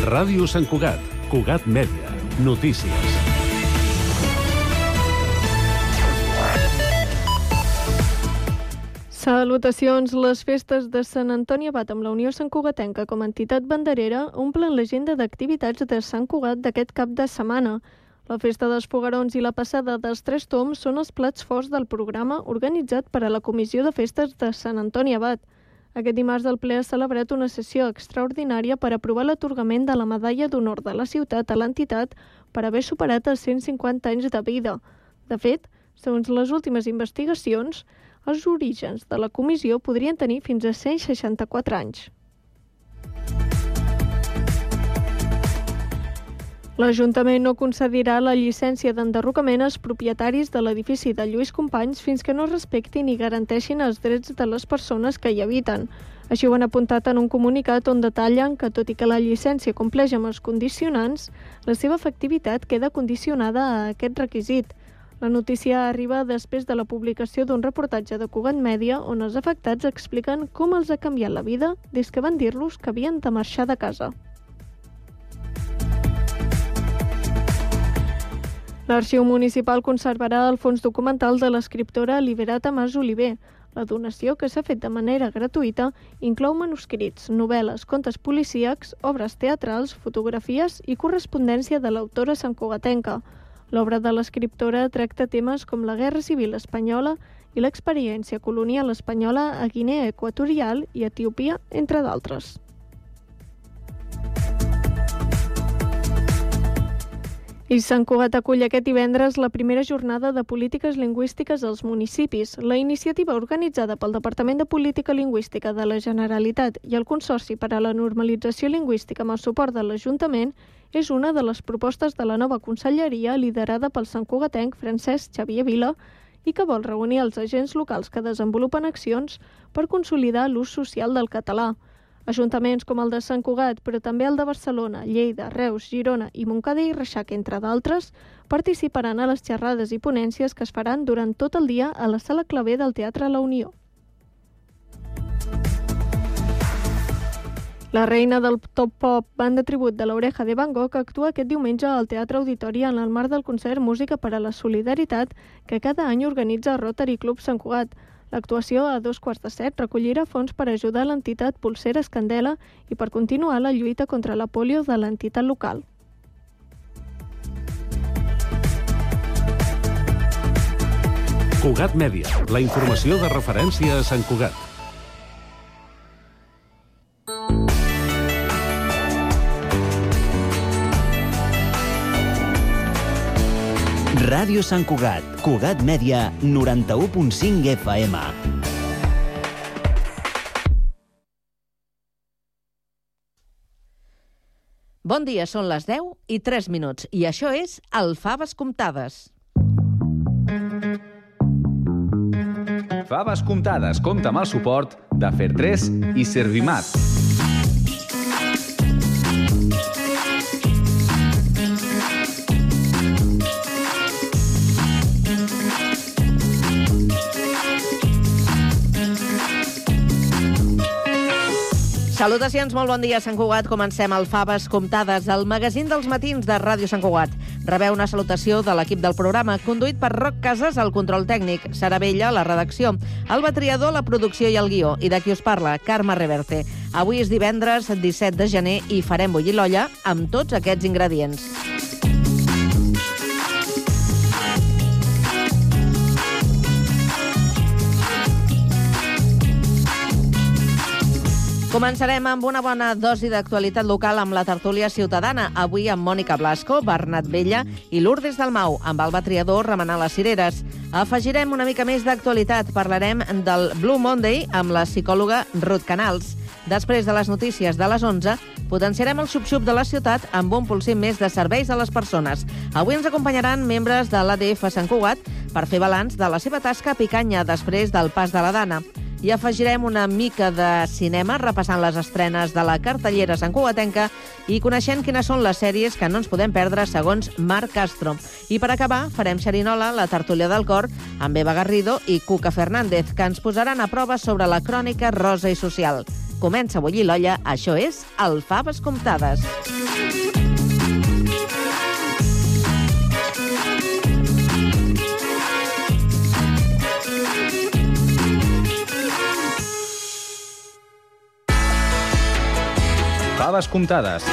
Ràdio Sant Cugat, Cugat Mèdia, notícies. Salutacions. Les festes de Sant Antoni Abat amb la Unió Santcugatenca com a entitat banderera omplen l'agenda d'activitats de Sant Cugat d'aquest cap de setmana. La festa dels foguerons i la passada dels Tres Tombs són els plats forts del programa organitzat per a la Comissió de Festes de Sant Antoni Abat. Aquest dimarts el ple ha celebrat una sessió extraordinària per aprovar l'atorgament de la Medalla d'Honor de la ciutat a l'entitat per haver superat els 150 anys de vida. De fet, segons les últimes investigacions, els orígens de la comissió podrien tenir fins a 164 anys. L'Ajuntament no concedirà la llicència d'enderrocament als propietaris de l'edifici de Lluís Companys fins que no respectin i garanteixin els drets de les persones que hi habiten. Així ho han apuntat en un comunicat on detallen que, tot i que la llicència compleix amb els condicionants, la seva efectivitat queda condicionada a aquest requisit. La notícia arriba després de la publicació d'un reportatge de Cugat Mèdia on els afectats expliquen com els ha canviat la vida des que van dir-los que havien de marxar de casa. L'Arxiu Municipal conservarà el fons documental de l'escriptora Liberata Mas Oliver. La donació, que s'ha fet de manera gratuïta, inclou manuscrits, novel·les, contes policíacs, obres teatrals, fotografies i correspondència de l'autora santcugatenca. L'obra de l'escriptora tracta temes com la Guerra Civil Espanyola i l'experiència colonial espanyola a Guinea Equatorial i Etiòpia, entre d'altres. I Sant Cugat acull aquest divendres la primera jornada de polítiques lingüístiques als municipis. La iniciativa organitzada pel Departament de Política Lingüística de la Generalitat i el Consorci per a la Normalització Lingüística amb el suport de l'Ajuntament és una de les propostes de la nova conselleria liderada pel santcugatenc Francesc Xavier Vila i que vol reunir els agents locals que desenvolupen accions per consolidar l'ús social del català. Ajuntaments com el de Sant Cugat, però també el de Barcelona, Lleida, Reus, Girona i Montcada i Reixac, entre d'altres, participaran a les xerrades i ponències que es faran durant tot el dia a la Sala Clavé del Teatre La Unió. La reina del top pop, banda tribut de l'Oreja de Van Gogh, actua aquest diumenge al Teatre Auditori en el marc del concert Música per a la Solidaritat que cada any organitza Rotary Club Sant Cugat. L'actuació a 7:15 recollirà fons per ajudar l'entitat Polseres Candela i per continuar la lluita contra la pòlio de l'entitat local. Cugat Mèdia, la informació de referència a Sant Cugat. Ràdio Sant Cugat, Cugat Mèdia, 91.5 FM. Bon dia, són les 10:03 i això és el Faves Comptades. Faves Comptades compta amb el suport de Fer3 i Servimat. Salutacions, molt bon dia, Sant Cugat. Comencem el Faves Comptades, el magazín dels matins de Ràdio Sant Cugat. Rebeu una salutació de l'equip del programa, conduït per Roc Casas, al control tècnic, Sara Bella, la redacció, Alba Triador, la producció i el guió, i de qui us parla, Carme Reverte. Avui és divendres 17 de gener i farem bullir l'olla amb tots aquests ingredients. Començarem amb una bona dosi d'actualitat local amb la tertúlia ciutadana, avui amb Mònica Blasco, Bernat Vella i Lourdes Dalmau, amb Alba Triador remenant les cireres. Afegirem una mica més d'actualitat, parlarem del Blue Monday amb la psicòloga Ruth Canals. Després de les notícies de les 11, potenciarem el xup-xup de la ciutat amb un polsim més de serveis a les persones. Avui ens acompanyaran membres de l'ADF Sant Cugat per fer balanç de la seva tasca a Picanya després del pas de la Dana. I afegirem una mica de cinema repassant les estrenes de la cartellera santcugatenca i coneixent quines són les sèries que no ens podem perdre segons Marc Castro. I per acabar farem xerinola, la tertúlia del cor, amb Eva Garrido i Cuca Fernández, que ens posaran a prova sobre la crònica rosa i social. Comença a bullir l'olla, això és el Faves Comptades. Faves comptades.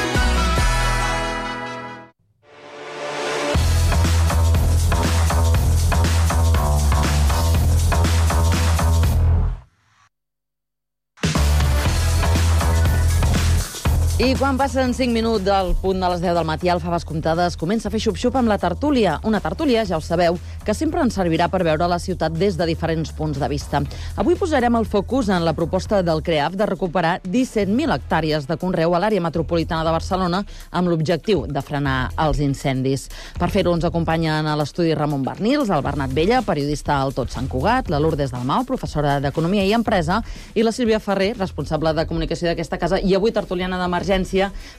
I quan passen 5 minuts del punt de les 10 del matí, el Faves Comptades comença a fer xup-xup amb la tertúlia. Una tertúlia, ja ho sabeu, que sempre ens servirà per veure la ciutat des de diferents punts de vista. Avui posarem el focus en la proposta del CREAF de recuperar 17.000 hectàrees de conreu a l'àrea metropolitana de Barcelona amb l'objectiu de frenar els incendis. Per fer-ho ens acompanyen a l'estudi Ramon Barnils, el Bernat Vella, periodista al Tot Sant Cugat, la Lourdes Dalmau, professora d'Economia i Empresa, i la Sílvia Ferrer, responsable de comunicació d'aquesta casa, i avui tertuliana d'emergència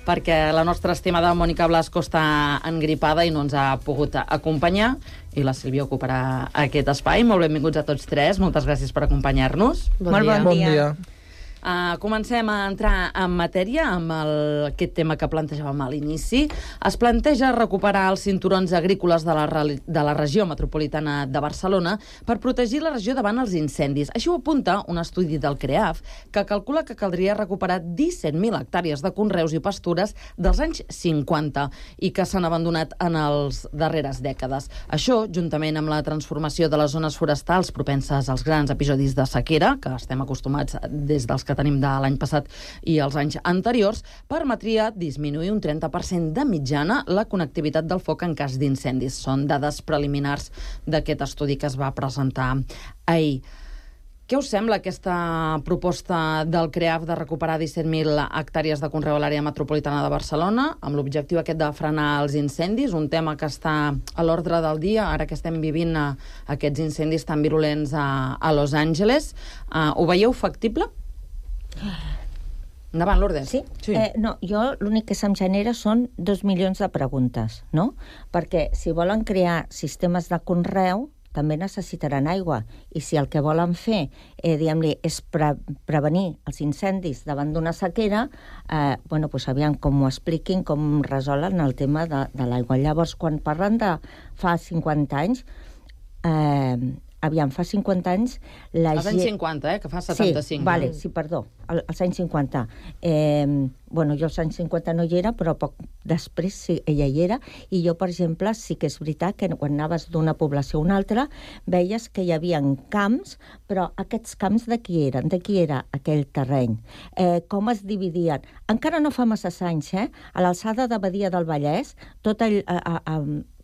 perquè la nostra estimada Mònica Blasco està engripada i no ens ha pogut acompanyar, i la Sílvia ocuparà aquest espai. Molt benvinguts a tots tres, moltes gràcies per acompanyar-nos. Bon dia. Comencem a entrar en matèria amb aquest tema que plantejàvem a l'inici. Es planteja recuperar els cinturons agrícoles de la regió metropolitana de Barcelona per protegir la regió davant els incendis. Així ho apunta un estudi del CREAF que calcula que caldria recuperar 17.000 hectàrees de conreus i pastures dels anys 50 i que s'han abandonat en les darreres dècades. Això, juntament amb la transformació de les zones forestals propenses als grans episodis de sequera, que estem acostumats des dels que tenim de l'any passat i els anys anteriors, permetria disminuir un 30% de mitjana la connectivitat del foc en cas d'incendis. Són dades preliminars d'aquest estudi que es va presentar ahir. Què us sembla aquesta proposta del CREAF de recuperar 17.000 hectàrees de conreu a l'àrea metropolitana de Barcelona amb l'objectiu aquest de frenar els incendis, un tema que està a l'ordre del dia, ara que estem vivint aquests incendis tan virulents a Los Angeles. Ho veieu factible? Endavant, Lourdes. Sí? No, jo l'únic que se'm genera són 2 milions de preguntes, no? Perquè si volen crear sistemes de conreu, també necessitaran aigua. I si el que volen fer, diguem-li, és prevenir els incendis davant d'una sequera, doncs aviam com ho expliquin, com resolen el tema de l'aigua. Llavors, quan parlen de fa 50 anys, fa 50 anys... Els anys 50, que fa 75. Sí, vale, sí, perdó, als anys 50. Jo als anys 50 no hi era, però poc després sí, ella hi era, i jo, per exemple, sí que és veritat que quan anaves d'una població a una altra, veies que hi havia camps, però aquests camps de qui eren? De qui era aquell terreny? Com es dividien? Encara no fa massa anys, a l'alçada de Badia del Vallès, tot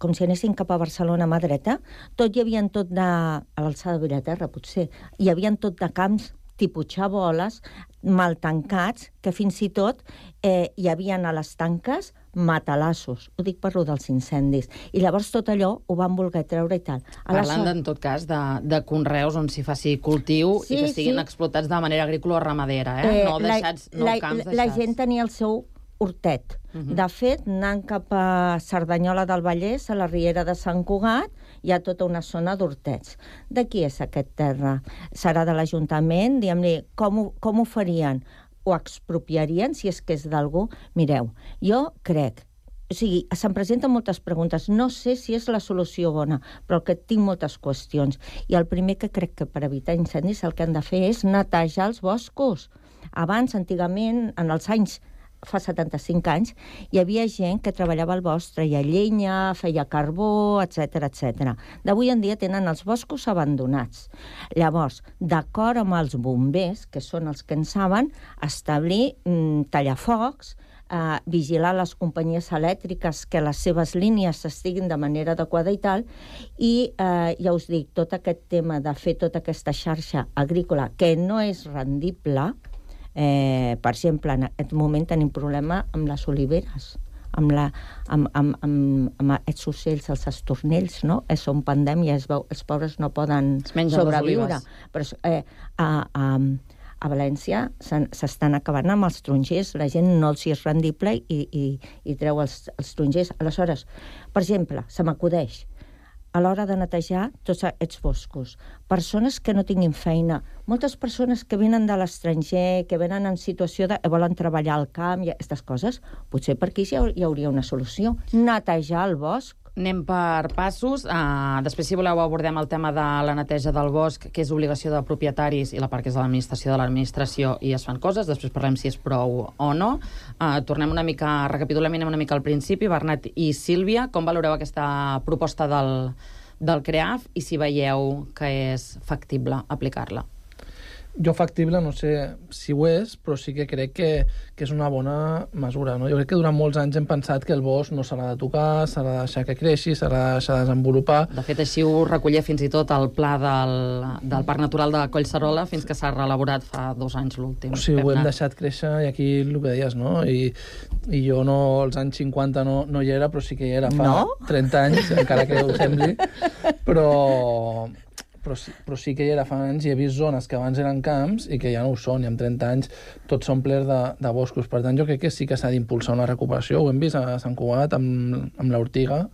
com si anessin cap a Barcelona a mà dreta, tot hi havia tot de... a l'alçada de Vilaterra, potser, hi havia tot de camps tipus xaboles, mal tancats, que fins i tot hi havia a les tanques matalassos. Ho dic per lo dels incendis. I llavors tot allò ho van voler treure i tal. Parlant, en tot cas, de conreus on s'hi faci cultiu i que estiguin explotats de manera agrícola o ramadera, no camps deixats. La gent tenia el seu hortet. De fet, anant cap a Cerdanyola del Vallès, a la Riera de Sant Cugat, hi ha tota una zona d'hortets. De qui és aquest terra? Serà de l'Ajuntament? Diguem-li, com ho farien? Ho expropiarien, si és que és d'algú? Mireu, jo crec... O sigui, se'm presenten moltes preguntes. No sé si és la solució bona, però que tinc moltes qüestions. I el primer que crec que per evitar incendis el que han de fer és netejar els boscos. Abans, antigament, en els anys fa 75 anys, hi havia gent que treballava al bosc, treia llenya, feia carbó, etc etc. D'avui en dia tenen els boscos abandonats. Llavors, d'acord amb els bombers, que són els que en saben, establir tallafocs, vigilar les companyies elèctriques que les seves línies estiguin de manera adequada i tal, i ja us dic, tot aquest tema de fer tota aquesta xarxa agrícola que no és rendible. Per exemple, en aquest moment tenim problema amb les oliveres, amb aquests ocells, els estornells, no? Són pandèmia, els pobres no poden sobreviure. Però a València s'estan acabant amb els tarongers, la gent no els és rendible i treu els tarongers. Aleshores, per exemple, se m'acudeix, a l'hora de netejar tots aquests boscos. Persones que no tinguin feina, moltes persones que venen de l'estranger, que venen en situació de volen treballar al camp i aquestes coses, potser per aquí hi hauria una solució. Netejar el bosc. Anem per passos. Després, si voleu, abordem el tema de la neteja del bosc, que és obligació de propietaris, i la part que és de l'administració i es fan coses. Després parlem si és prou o no. Recapitulem una mica al principi. Bernat i Sílvia, com valoreu aquesta proposta del CREAF i si veieu que és factible aplicar-la? Jo factible no sé si ho és, però sí que crec que és una bona mesura, no? Jo crec que durant molts anys hem pensat que el bosc no s'ha de tocar, s'ha de deixar que creixi, s'ha de deixar desenvolupar. De fet, així ho recollia fins i tot el pla del Parc Natural de Collserola, fins que s'ha reelaborat fa 2 anys l'últim. Sí, ho hem deixat créixer, i aquí el que deies, no? I jo no, als anys 50 no hi era, però sí que hi era fa 30 anys, encara que ho sembli, però sí que hi era fa anys i he vist zones que abans eren camps i que ja no ho són, i amb 30 anys tots són plers de boscos. Per tant, jo crec que sí que s'ha d'impulsar una recuperació. Ho hem vist a Sant Cugat amb l'Ortiga,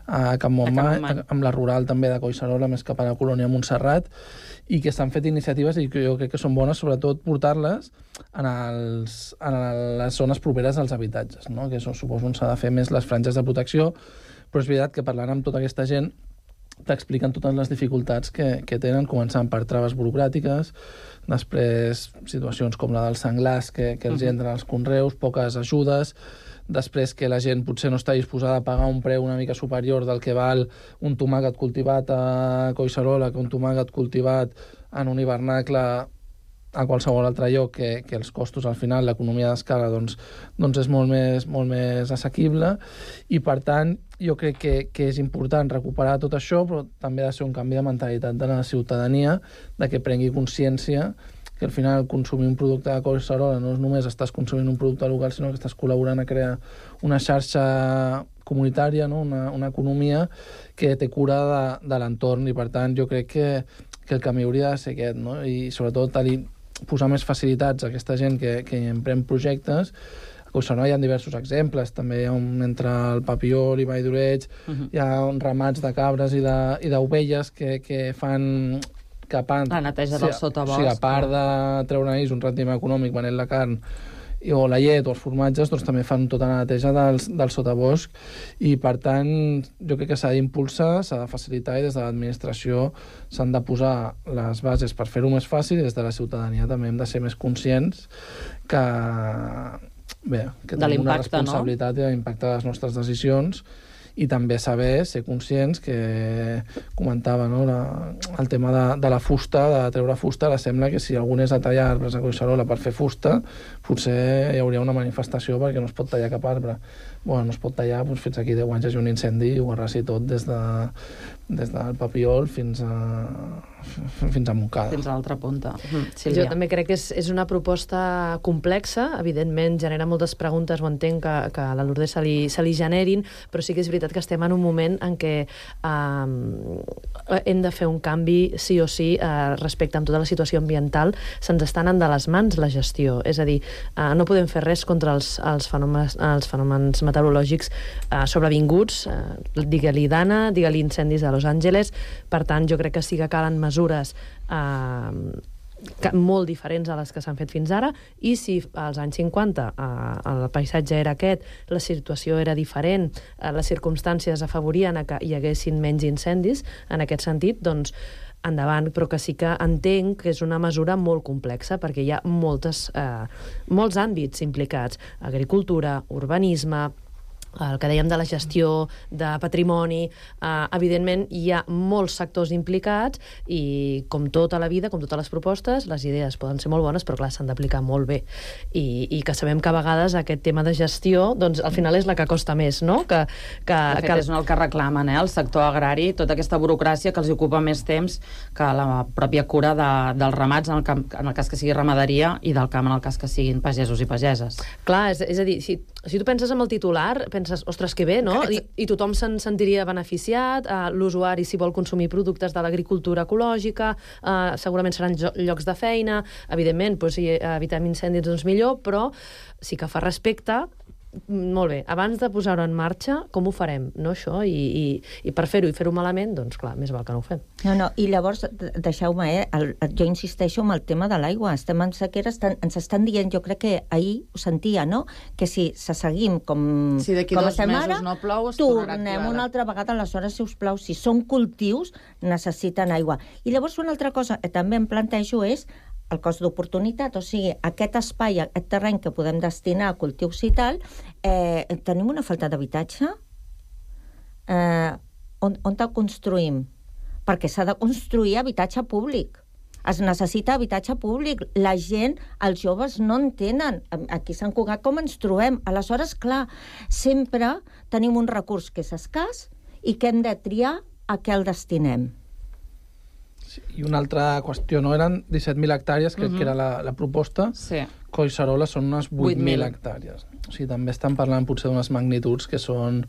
a Can Montmany, amb la rural també de Collserola, més cap a la colònia Montserrat, i que s'han fet iniciatives i que jo crec que són bones, sobretot portar-les en les zones properes als habitatges, no? Que suposo on s'ha de fer més les franges de protecció, però és veritat que parlant amb tota aquesta gent t'expliquen totes les dificultats que tenen, començant per traves burocràtiques, després situacions com la dels senglars que els entren als conreus, poques ajudes, després que la gent potser no està disposada a pagar un preu una mica superior del que val un tomàquet cultivat a Collserola que un tomàquet cultivat en un hivernacle a qualsevol altre lloc, que els costos al final, l'economia d'escala, doncs és molt més assequible, i per tant jo crec que és important recuperar tot això, però també ha de ser un canvi de mentalitat de la ciutadania, de que prengui consciència que al final consumir un producte de Collserola no és només estàs consumint un producte local, sinó que estàs col·laborant a crear una xarxa comunitària, no? Una economia que té cura de l'entorn, i per tant jo crec que el camí hauria de ser aquest, no? I sobretot posar més facilitats a aquesta gent que emprèn projectes. A Collserola hi ha diversos exemples, també hi ha entre el Papiol i Vall d'Oreig, hi ha ramats de cabres i d'ovelles que fan la neteja del sotabosc. O sigui, a part de treure un rendiment econòmic venent la carn o la llet o els formatges, doncs també fan tota la neteja del sotabosc, i per tant jo crec que s'ha d'impulsar, s'ha de facilitar, i des de l'administració s'han de posar les bases per fer-ho més fàcil, i des de la ciutadania també hem de ser més conscients que tenim una responsabilitat, no? I de l'impacte de les nostres decisions, i també saber, ser conscients que comentava, no? El tema de la fusta, de treure fusta, ara sembla que si algú és a tallar arbres a Collserola per fer fusta, potser hi hauria una manifestació perquè no es pot tallar cap arbre. Bueno, no es pot tallar, doncs fins aquí 10 anys hi ha un incendi i ho arrasi tot des del Papiol fins a Montcada. Fins a l'altra punta. Jo també crec que és una proposta complexa, evidentment genera moltes preguntes, ho entenc que a la Lourdes se li generin, però sí que és veritat que estem en un moment en què hem de fer un canvi sí o sí respecte amb tota la situació ambiental. Se'ns està anant de les mans la gestió, és a dir, no podem fer res contra els fenòmens meteorològics sobrevinguts, digue-li Dana, digue-li incendis a Los Angeles. Per tant, jo crec que sí que calen mesures molt diferents a les que s'han fet fins ara, i si als anys 50 el paisatge era aquest, la situació era diferent, les circumstàncies afavorien a que hi haguessin menys incendis, en aquest sentit, doncs endavant, però que sí que entenc que és una mesura molt complexa, perquè hi ha molts àmbits implicats: agricultura, urbanisme, el que dèiem de la gestió de patrimoni. Evidentment hi ha molts sectors implicats, i com tota la vida, com totes les propostes, les idees poden ser molt bones, però clar, s'han d'aplicar molt bé, i que sabem que a vegades aquest tema de gestió, doncs al final és la que costa més, no? De fet, és el que reclamen, el sector agrari, tota aquesta burocràcia que els ocupa més temps que la pròpia cura dels ramats, en el cas que sigui ramaderia, i del camp en el cas que siguin pagesos i pageses. Clar, és a dir, si tu penses en el titular, penses, ostres, que bé, no? I tothom se'n sentiria beneficiat, l'usuari, si vol consumir productes de l'agricultura ecològica, segurament seran llocs de feina, evidentment, si evitem incendis, doncs millor, però sí que fa respecte molt bé, abans de posar-ho en marxa, com ho farem, no, això? I per fer-ho i fer-ho malament, doncs clar, més val que no ho fem. No, i llavors, deixeu-me, jo insisteixo en el tema de l'aigua. Estem en sequera, ens estan dient, jo crec que ahir ho sentia, no?, que si se seguim com d'aquí 2 mesos no plou, es tornarà tornem activada. una altra vegada, aleshores, si us plau, si són cultius, necessiten aigua. I llavors una altra cosa que també em plantejo és el cost d'oportunitat, o sigui, aquest espai, aquest terreny que podem destinar a cultius i tal, tenim una falta d'habitatge? On el construïm? Perquè s'ha de construir habitatge públic. Es necessita habitatge públic. La gent, els joves, no en tenen. Aquí a Sant Cugat com ens trobem? Aleshores, clar, sempre tenim un recurs que és escàs i que hem de triar a què el destinem. I una altra qüestió, no? Eren 17.000 hectàrees, crec que era la proposta. Sí. Collserola són unes 8.000 hectàrees. O sigui, també estan parlant potser d'unes magnituds que són...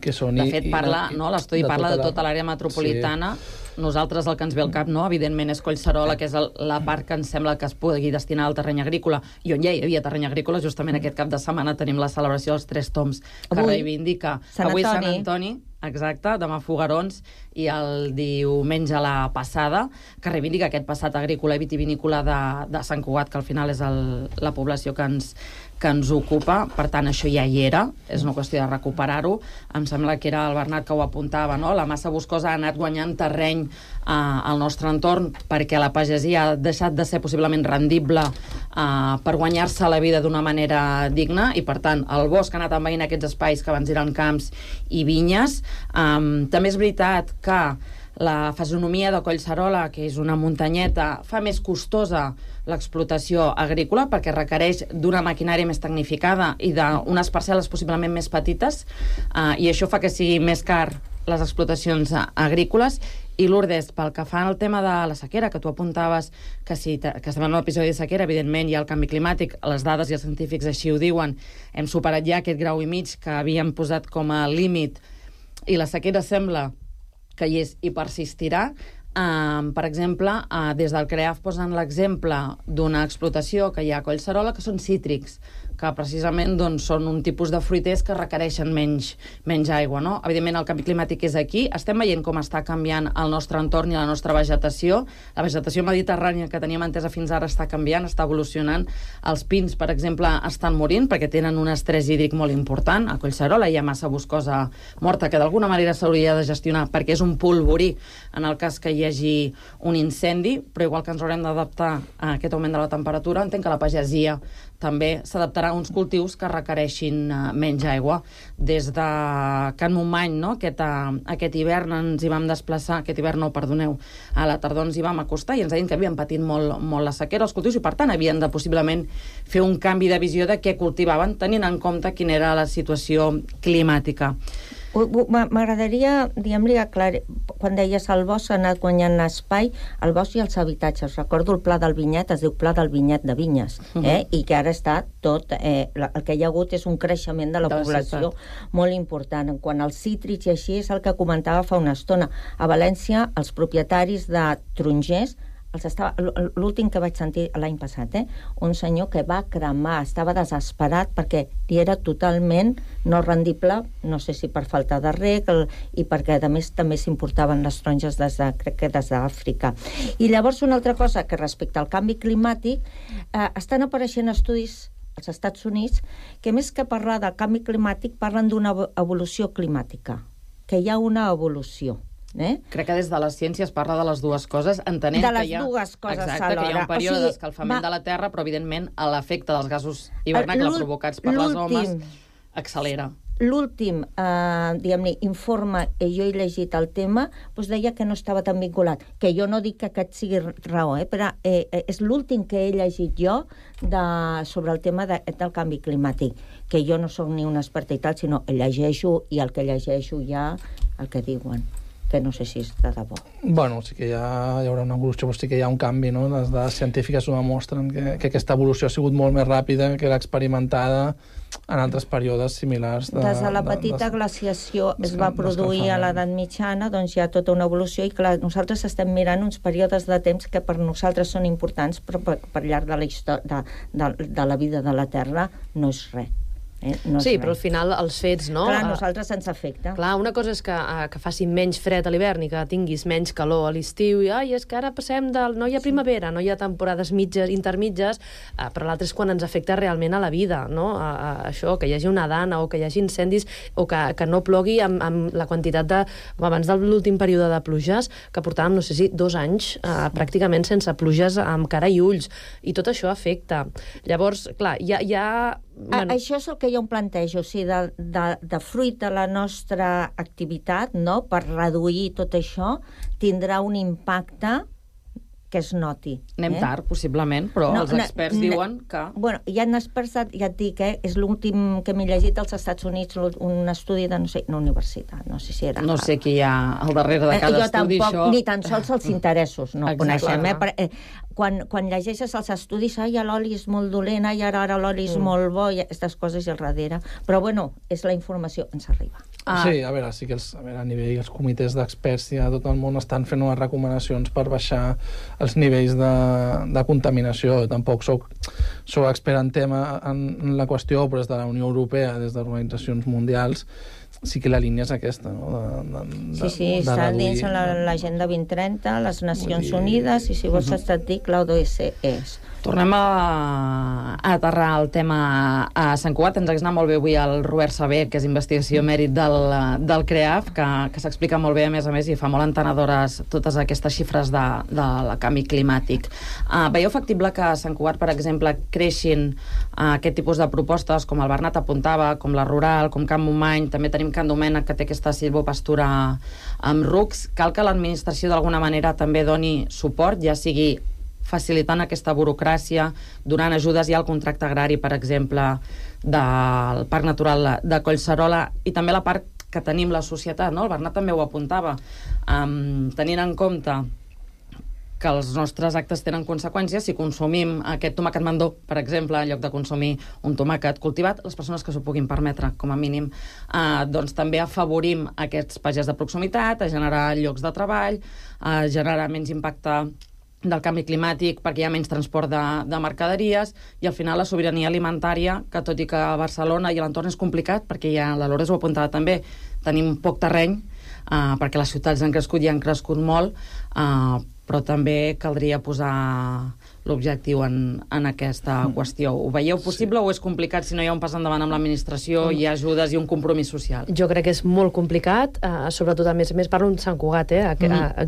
De fet, l'estudi parla de tota l'àrea metropolitana. Nosaltres el que ens ve al cap, no, evidentment, és Collserola, que és la part que ens sembla que es pugui destinar al terreny agrícola, i on ja hi havia terreny agrícola, justament aquest cap de setmana tenim la celebració dels 3 toms que reivindica avui Sant Antoni, exacte, demà Foguerons, i el diumenge la passada, que reivindica aquest passat agrícola i vitivinícola de Sant Cugat, que al final és la població que ens ocupa. Per tant, això ja hi era, és una qüestió de recuperar-ho. Em sembla que era el Bernat que ho apuntava, no? La massa boscosa ha anat guanyant terreny al nostre entorn perquè la pagesia ha deixat de ser possiblement rendible per guanyar-se la vida d'una manera digna, i per tant el bosc ha anat envaint aquests espais que abans eren camps i vinyes. També és veritat que la fisonomia de Collserola, que és una muntanyeta, fa més costosa l'explotació agrícola perquè requereix d'una maquinària més tecnificada i d'unes parcel·les possiblement més petites, i això fa que sigui més car les explotacions agrícoles. I Lourdes, pel que fa al tema de la sequera, que tu apuntaves que estem en un episodi de sequera, evidentment hi ha el canvi climàtic, les dades i els científics així ho diuen, hem superat ja aquest 1,5 graus que havíem posat com a límit, i la sequera sembla que hi és i persistirà. Per exemple, des del CREAF posen l'exemple d'una explotació que hi ha a Collserola, que són cítrics, que precisament són un tipus de fruiters que requereixen menys aigua, no? Evidentment, el canvi climàtic és aquí. Estem veient com està canviant el nostre entorn i la nostra vegetació. La vegetació mediterrània que teníem entesa fins ara està canviant, està evolucionant. Els pins, per exemple, estan morint perquè tenen un estrès hídric molt important. A Collserola hi ha massa boscosa morta que d'alguna manera s'hauria de gestionar perquè és un polvorí en el cas que hi hagi un incendi, però igual que ens haurem d'adaptar a aquest augment de la temperatura, entenc que la pagesia també s'adaptarà a uns cultius que requereixin menys aigua. Des de Can Montmany, no? Aquest hivern ens hi vam desplaçar, a la tardor ens hi vam acostar i ens deien que havien patit molt la sequera els cultius i, per tant, havien de possiblement fer un canvi de visió de què cultivaven, tenint en compte quina era la situació climàtica. M'agradaria, diguem-li, aclarir, quan deies el bosc ha anat guanyant espai, el bosc i els habitatges. Recordo el Pla del Vinyet, es diu Pla del Vinyet de Vinyes, i que ara està tot... el que hi ha hagut és un creixement de la població molt important. En quant als cítrics i així, és el que comentava fa una estona. A València, els propietaris de tarongers, l'últim que vaig sentir l'any passat, un senyor que va cremar, estava desesperat perquè li era totalment no rendible, no sé si per falta de reg i perquè a més també s'importaven les taronges crec que des d'Àfrica. I llavors una altra cosa que respecte al canvi climàtic, estan apareixent estudis als Estats Units que més que parlar del canvi climàtic parlen d'una evolució climàtica, que hi ha una evolució. Crec que des de les ciències es parla de les dues coses, entenent que hi ha un període d'escalfament de la Terra, però evidentment l'efecte dels gasos hivernacle provocats per les homes accelera. L'últim, diguem-ne, informe que jo he llegit el tema, deia que no estava tan vinculat, que jo no dic que aquest sigui raó, però és l'últim que he llegit jo sobre el tema del canvi climàtic, que jo no soc ni una experta i tal, sinó llegeixo, i el que llegeixo ja el que diuen, que no sé si és de debò. Bueno, sí que hi haurà una evolució, però sí que hi ha un canvi, no? Les dades científiques ho demostren, que aquesta evolució ha sigut molt més ràpida que l'experimentada en altres períodes similars. Des de la petita glaciació es va produir a l'edat mitjana, doncs hi ha tota una evolució, i clar, nosaltres estem mirant uns períodes de temps que per nosaltres són importants, però per llarg de la història de la vida de la Terra no és res. Sí, però al final els fets, no? Clar, a nosaltres ens afecta. Clar, una cosa és que faci menys fred a l'hivern i que tinguis menys calor a l'estiu i és que ara passem del... No hi ha primavera, no hi ha temporades mitges, intermitges, però l'altre és quan ens afecta realment a la vida, no? Això, que hi hagi una dana o que hi hagi incendis o que no plogui amb la quantitat de... Abans de l'últim període de pluges, que portàvem, no sé si 2 anys pràcticament sense pluges amb cara i ulls, i tot això afecta. Llavors, clar, hi ha... Bueno. Això és el que jo em plantejo, o sigui, de fruit de la nostra activitat, no?, per reduir tot això, tindrà un impacte que es noti. Anem tard, possiblement, però els experts diuen que... Bueno, hi ha experts, ja et dic, és l'últim que m'he llegit als Estats Units, un estudi de, no sé, una universitat, no sé si era... No sé qui hi ha al darrere de cada estudi, tampoc, això... Ni tan sols els interessos, no coneixem, Quan llegeixes els estudis, l'oli és molt dolent, ara l'oli és molt bo, i aquestes coses al darrere. Però, bueno, és la informació, ens arriba. Sí, a veure, sí que a nivell els comitès d'experts a tot el món estan fent unes recomanacions per baixar els nivells de contaminació. Tampoc soc expert en tema en la qüestió, però des de la Unió Europea, des d'organitzacions mundials, sí que la línia és aquesta, no? Sí, està dins l'Agenda 2030, les Nacions Unides, i si vols estàtic, l'ODS és. Tornem a aterrar el tema a Sant Cugat. Ens ha anat molt bé avui el Robert Saber, que és investigació mèrit del CREAF, que s'explica molt bé, a més, i fa molt entenedores totes aquestes xifres del canvi climàtic. Veieu factible que a Sant Cugat, per exemple, creixin aquest tipus de propostes, com el Bernat apuntava, com la Rural, com Camp Montmany, també tenim Can Domènec, que té aquesta silvopastura amb rucs. Cal que l'administració d'alguna manera també doni suport, ja sigui facilitant aquesta burocràcia, donant ajudes ja al contracte agrari, per exemple, del Parc Natural de Collserola, i també la part que tenim la societat, no? El Bernat també ho apuntava, tenint en compte que els nostres actes tenen conseqüències. Si consumim aquest tomàquet mandó, per exemple, en lloc de consumir un tomàquet cultivat, les persones que s'ho puguin permetre, com a mínim, doncs també afavorim aquests pagesos de proximitat, a generar llocs de treball, a generar menys impacte del canvi climàtic perquè hi ha menys transport de mercaderies, i al final la sobirania alimentària, que tot i que a Barcelona i a l'entorn és complicat, perquè ja la Lourdes ho apuntava també, tenim poc terreny, perquè les ciutats han crescut i han crescut molt, però també caldria posar l'objectiu en aquesta qüestió. Ho veieu possible o és complicat si no hi ha un pas endavant amb l'administració, hi ha ajudes i un compromís social? Jo crec que és molt complicat, sobretot, a més parlo de Sant Cugat,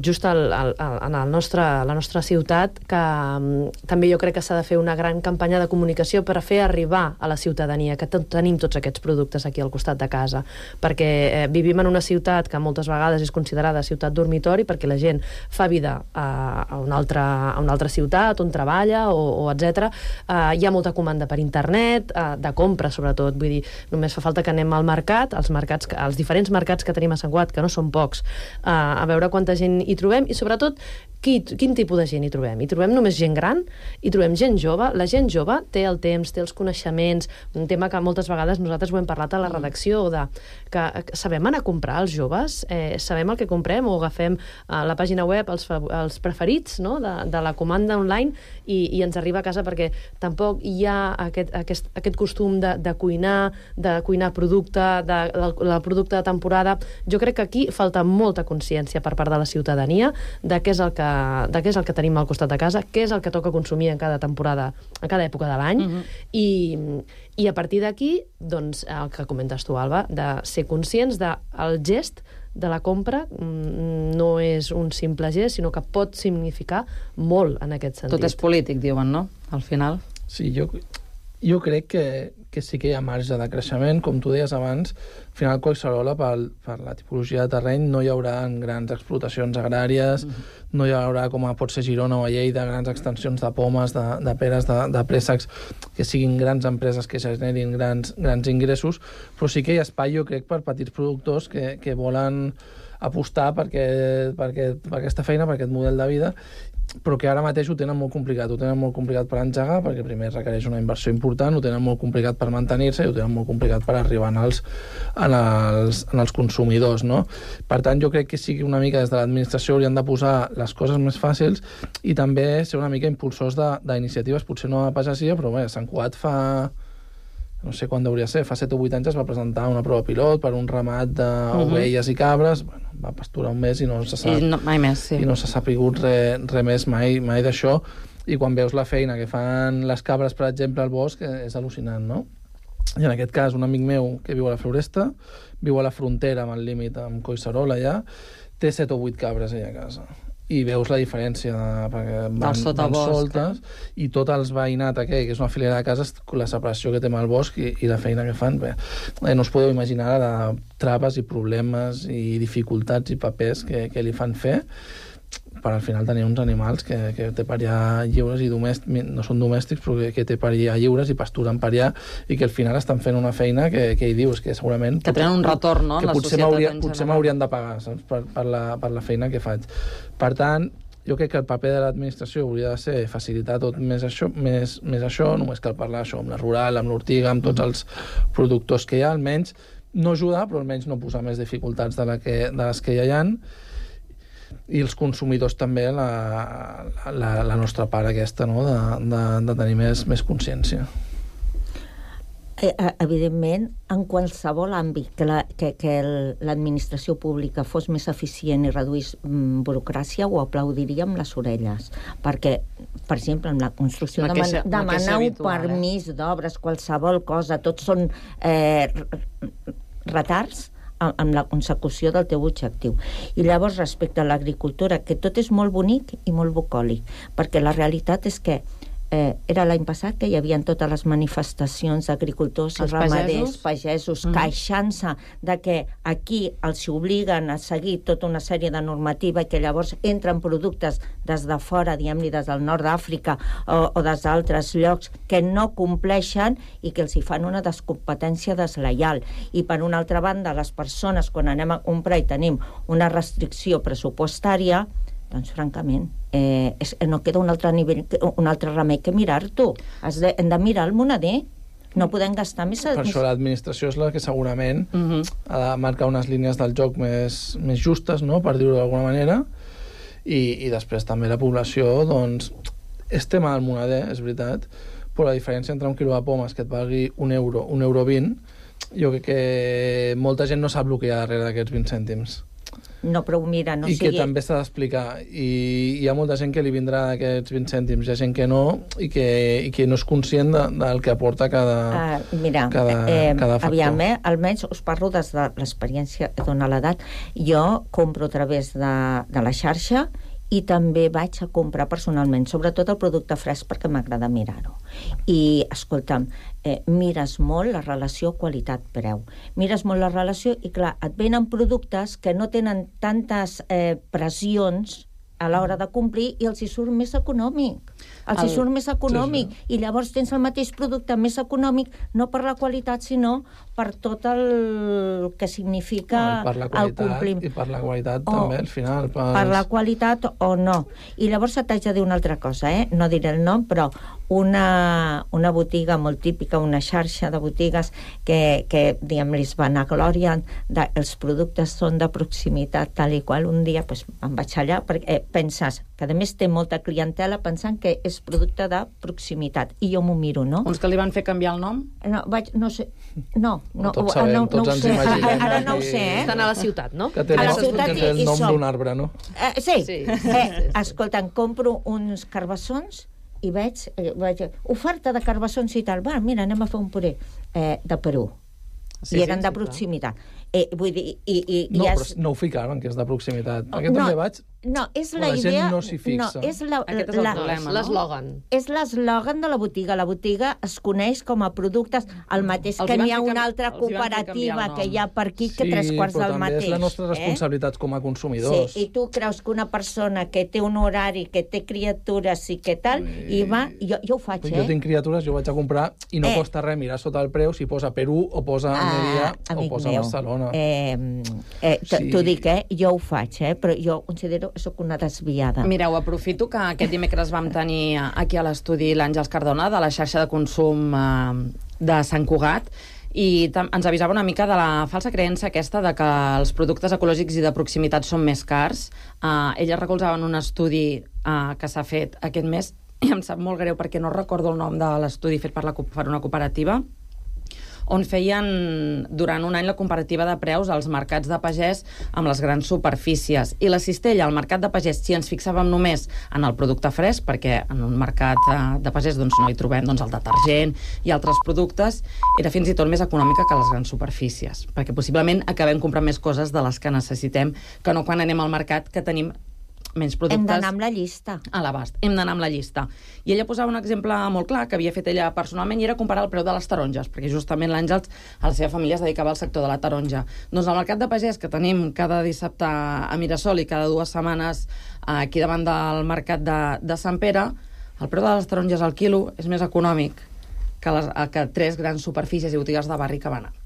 just en la nostra ciutat, que també jo crec que s'ha de fer una gran campanya de comunicació per fer arribar a la ciutadania que tenim tots aquests productes aquí al costat de casa, perquè vivim en una ciutat que moltes vegades és considerada ciutat dormitori, perquè la gent fa vida a una altra ciutat on treballa o etc. Hi ha molta comanda per internet, de compra sobretot, vull dir, només fa falta que anem al mercat, als diferents mercats que tenim a Sant Cugat, que no són pocs, a veure quanta gent hi trobem i sobretot quin tipus de gent hi trobem. Hi trobem només gent gran, hi trobem gent jove. La gent jove té el temps, té els coneixements, un tema que moltes vegades nosaltres ho hem parlat a la redacció, que sabem anar a comprar els joves, sabem el que comprem o agafem a la pàgina web els preferits, no?, de la comanda online i ens arriba a casa, perquè tampoc hi ha aquest costum de cuinar producte, del producte de temporada. Jo crec que aquí falta molta consciència per part de la ciutadania de què és el que tenim al costat de casa, què és el que toca consumir en cada temporada, en cada època de l'any, i a partir d'aquí, doncs, el que comentes tu, Alba, de ser conscients del gest de la compra no és un simple gest, sinó que pot significar molt en aquest sentit. Tot és polític, diuen, no?, al final. Sí, jo crec que sí que hi ha marge de creixement, com tu deies abans. Al final, Collserola, per la tipologia de terreny, no hi haurà grans explotacions agràries, no hi haurà, com pot ser Girona o a Lleida, grans extensions de pomes, de peres, de préssecs, que siguin grans empreses que generin grans ingressos, però sí que hi ha espai, jo crec, per petits productors que volen apostar per aquesta feina, per aquest model de vida, però que ara mateix ho tenen molt complicat. Ho tenen molt complicat per engegar, perquè primer requereix una inversió important, ho tenen molt complicat per mantenir-se i ho tenen molt complicat per arribar als consumidors, no? Per tant, jo crec que sí que una mica des de l'administració haurien de posar les coses més fàcils i també ser una mica impulsors d'iniciatives, potser no a pagesia, però bé, Sant Cugat no sé quan hauria de ser, fa 7 o 8 anys es va presentar una prova pilot per un ramat d'ovelles i cabres, bueno, va pasturar un mes i no se sap, mai més, sí. I no s'ha sapigut res més mai d'això, i quan veus la feina que fan les cabres, per exemple, al bosc, és al·lucinant, no? I en aquest cas, un amic meu que viu a la Floresta, viu a la frontera amb el límit amb Collserola allà, té 7 o 8 cabres allà a casa. I veus la diferència, perquè van soltes, i tot el veïnat aquell, que és una filera de cases, la separació que té amb el bosc i la feina que fan. Bé, no us podeu imaginar de traves i problemes i dificultats i papers que li fan fer, per al final tenir uns animals que té per allà lliures i no són domèstics, però que té per allà lliures i pasturen per allà, i que al final estan fent una feina que hi dius, que segurament... Que tenen un retorn, no?, en la societat en general. Potser m'haurien de pagar, saps?, per la feina que faig. Per tant, jo crec que el paper de l'administració hauria de ser facilitar tot més això, només cal parlar això amb la rural, amb l'ortiga, amb tots els productors que hi ha, almenys no ajudar, però almenys no posar més dificultats de les que ja hi ha, i els consumidors també la nostra part aquesta, no?, de tenir més consciència. Evidentment, en qualsevol àmbit que l'administració pública fos més eficient i reduís burocràcia, ho aplaudiríem les orelles, perquè, per exemple, en la construcció demanar un permís d'obres, qualsevol cosa, tots són retards amb la consecució del teu objectiu. I llavors, respecte a l'agricultura, que tot és molt bonic i molt bucòlic, perquè la realitat és que era l'any passat que hi havia totes les manifestacions d'agricultors i ramaders, pagesos, queixant-se de que aquí els obliguen a seguir tota una sèrie de normativa i que llavors entren productes des de fora, diguem-li, des del nord d'Àfrica o des d'altres llocs que no compleixen i que els hi fan una descompetència deslleial. I per una altra banda, les persones, quan anem a comprar i tenim una restricció pressupostària, doncs, francament, no queda un altre remei que mirar-t'ho. Hem de mirar el moneder. No podem gastar més... Per això l'administració és la que segurament ha de marcar unes línies del joc més justes, no?, per dir-ho d'alguna manera, i després també la població, doncs, és tema del moneder, és veritat, però la diferència entre un quilo de pomes que et valgui €1, €1,20, jo crec que molta gent no sap el que hi ha darrere d'aquests 20 cèntims. No, però mira, no sigui... I que també s'ha d'explicar. I hi ha molta gent que li vindrà d'aquests 20 cèntims, hi ha gent que no, i que no és conscient del que aporta cada factor. Aviam, almenys us parlo des de l'experiència que dona l'edat. Jo compro a través de la xarxa i també vaig a comprar personalment, sobretot el producte fresc, perquè m'agrada mirar-ho. I, escolta'm, mires molt la relació qualitat-preu. Mires molt la relació i, clar, et venen productes que no tenen tantes pressions a l'hora de complir i els hi surt més econòmic. I llavors tens el mateix producte més econòmic, no per la qualitat, sinó per tot el que significa el compliment. I per la qualitat també, al final. Per la qualitat o no. I llavors t'haig de dir una altra cosa, no diré el nom, però una botiga molt típica, una xarxa de botigues que diguem-li, es vanaglorien els productes són de proximitat, tal i qual. Un dia em vaig allà, perquè penses que a més té molta clientela pensant que és producte de proximitat, i jo m'ho miro, no? Uns que li van fer canviar el nom? No sé, no tots sabem, tots ens imaginem. Ara no ho sé, Estan a la ciutat, no? Que té el nom d'un arbre, no? Sí. Escolta, compro uns carbassons i veig oferta de carbassons i tal. Va, mira, anem a fer un puré de Perú. I eren de proximitat. Vull dir... però no ho ficaven, que és de proximitat. Perquè també vaig... No, és la idea... no s'hi fixa. Aquest és el problema, no? L'eslògan. És l'eslògan de la botiga. La botiga es coneix com a productes el mateix que n'hi ha una altra cooperativa que hi ha per aquí que 3/4 del mateix. Sí, però també és la nostra responsabilitat com a consumidors. Sí, i tu creus que una persona que té un horari, que té criatures i que tal, i va... Jo ho faig, Jo tinc criatures, jo vaig a comprar i no costa res mirar sota el preu si posa Perú o posa Almeria o posa Barcelona. T'ho dic, jo ho faig, però jo considero que soc una desviada. Mireu, aprofito que aquest dimecres vam tenir aquí a l'estudi l'Àngels Cardona de la xarxa de consum de Sant Cugat, i ens avisava una mica de la falsa creença aquesta de que els productes ecològics i de proximitat són més cars. Elles recolzaven un estudi que s'ha fet aquest mes, i em sap molt greu perquè no recordo el nom de l'estudi fet per una cooperativa, on feien durant un any la comparativa de preus als mercats de pagès amb les grans superfícies. I la cistella, al mercat de pagès, si ens fixàvem només en el producte fresc, perquè en un mercat de pagès no hi trobem el detergent i altres productes, era fins i tot més econòmica que les grans superfícies, perquè possiblement acabem comprant més coses de les que necessitem que no quan anem al mercat, que tenim menys productes... Hem d'anar amb la llista. A l'abast, hem d'anar amb la llista. I ella posava un exemple molt clar que havia fet ella personalment i era comparar el preu de les taronges, perquè justament l'Àngels, a la seva família, es dedicava al sector de la taronja. Doncs al mercat de pagès, que tenim cada dissabte a Mirasol i cada 2 setmanes aquí davant del mercat de Sant Pere, el preu de les taronges al quilo és més econòmic que 3 grans superfícies i botigues de barri que van anar.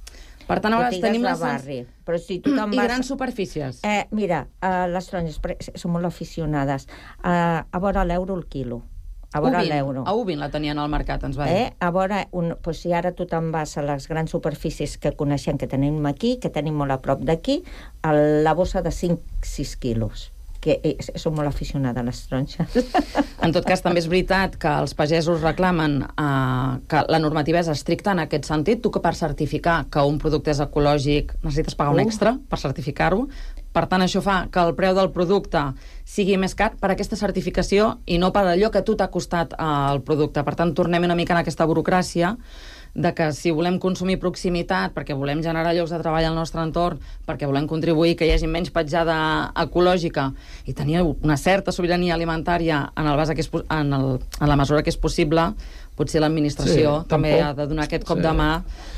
Per tant, ara tenim les barri, però si tu te'n vas... I grans superfícies. Mira, les taronges són molt aficionades. A veure l'euro el quilo. A veure l'euro. A Ubin la tenien al mercat, ens va dir. A veure, si ara tu te'n vas a les grans superfícies que coneixem, que tenim aquí, que tenim molt a prop d'aquí, la bossa de 5-6 quilos. Que són molt aficionades les taronges. En tot cas, també és veritat que els pagesos reclamen que la normativa és estricta en aquest sentit. Tu que per certificar que un producte és ecològic necessites pagar un extra per certificar-ho. Per tant, això fa que el preu del producte sigui més car per aquesta certificació i no per allò que a tu t'ha costat el producte. Per tant, tornem una mica en aquesta burocràcia de que si volem consumir proximitat, perquè volem generar llocs de treball al nostre entorn, perquè volem contribuir que hi hagi menys petjada ecològica i tenir una certa sobirania alimentària en la mesura que és possible, potser l'administració també ha de donar aquest cop de mà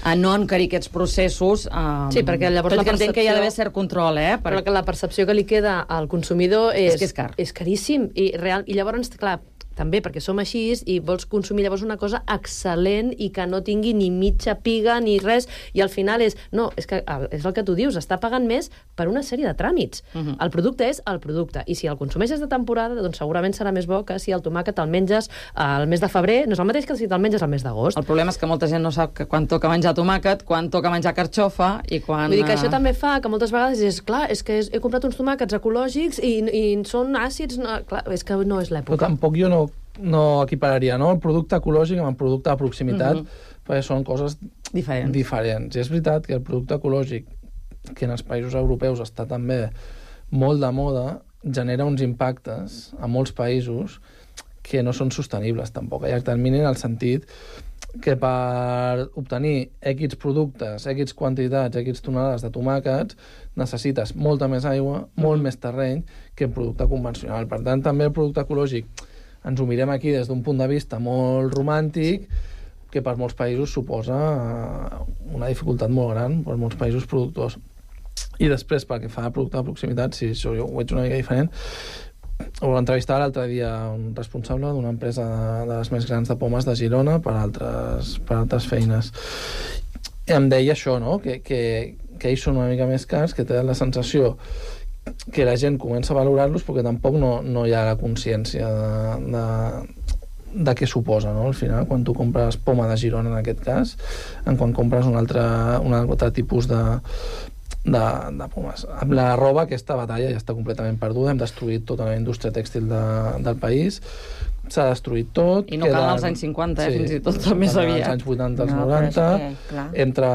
a no encarir aquests processos. Sí, perquè llavors tot i que entenc que hi ha d'haver cert control, però que la percepció que li queda al consumidor és que és car. És caríssim. I llavors, clar, també perquè som així i vols consumir llavors una cosa excel·lent i que no tingui ni mitja piga ni res, i al final és que és el que tu dius, està pagant més per una sèrie de tràmits. El producte és el producte, i si el consumeixes de temporada, doncs segurament serà més bo que si el tomàquet el menges al mes de febrer, no és el mateix que si te'l menges al mes d'agost. El problema és que molta gent no sap que quan toca menjar tomàquet, quan toca menjar carxofa i quan... Vull dir que això també fa que moltes vegades és clar, és que he comprat uns tomàquets ecològics i són àcids, clar, és que no és l'època. Però tampoc jo no equipararia el producte ecològic amb el producte de proximitat, perquè són coses diferents. I és veritat que el producte ecològic, que en els països europeus està també molt de moda, genera uns impactes a molts països que no són sostenibles tampoc a llarg termini, en el sentit que per obtenir X productes, X quantitats, X tonelades de tomàquets, necessites molta més aigua, molt més terreny que el producte convencional. Per tant, també el producte ecològic ens ho mirem aquí des d'un punt de vista molt romàntic, que per molts països suposa una dificultat molt gran per molts països productors. I després, pel que fa a producte de proximitat, si això jo ho veig una mica diferent, ho entrevistava l'altre dia un responsable d'una empresa de les més grans de pomes de Girona per altres feines. I em deia això, no? que ells són una mica més cars, que tenen la sensació que la gent comença a valorar-los perquè tampoc no hi ha la consciència de què suposa, no? Al final, quan tu compres poma de Girona, en aquest cas, quan compres un altre tipus de pomes. Amb la roba, aquesta batalla ja està completament perduda, hem destruït tota la indústria tèxtil del país, s'ha destruït tot. I no cal als anys 50, fins i tot més aviat. Als anys 80, als 90, entre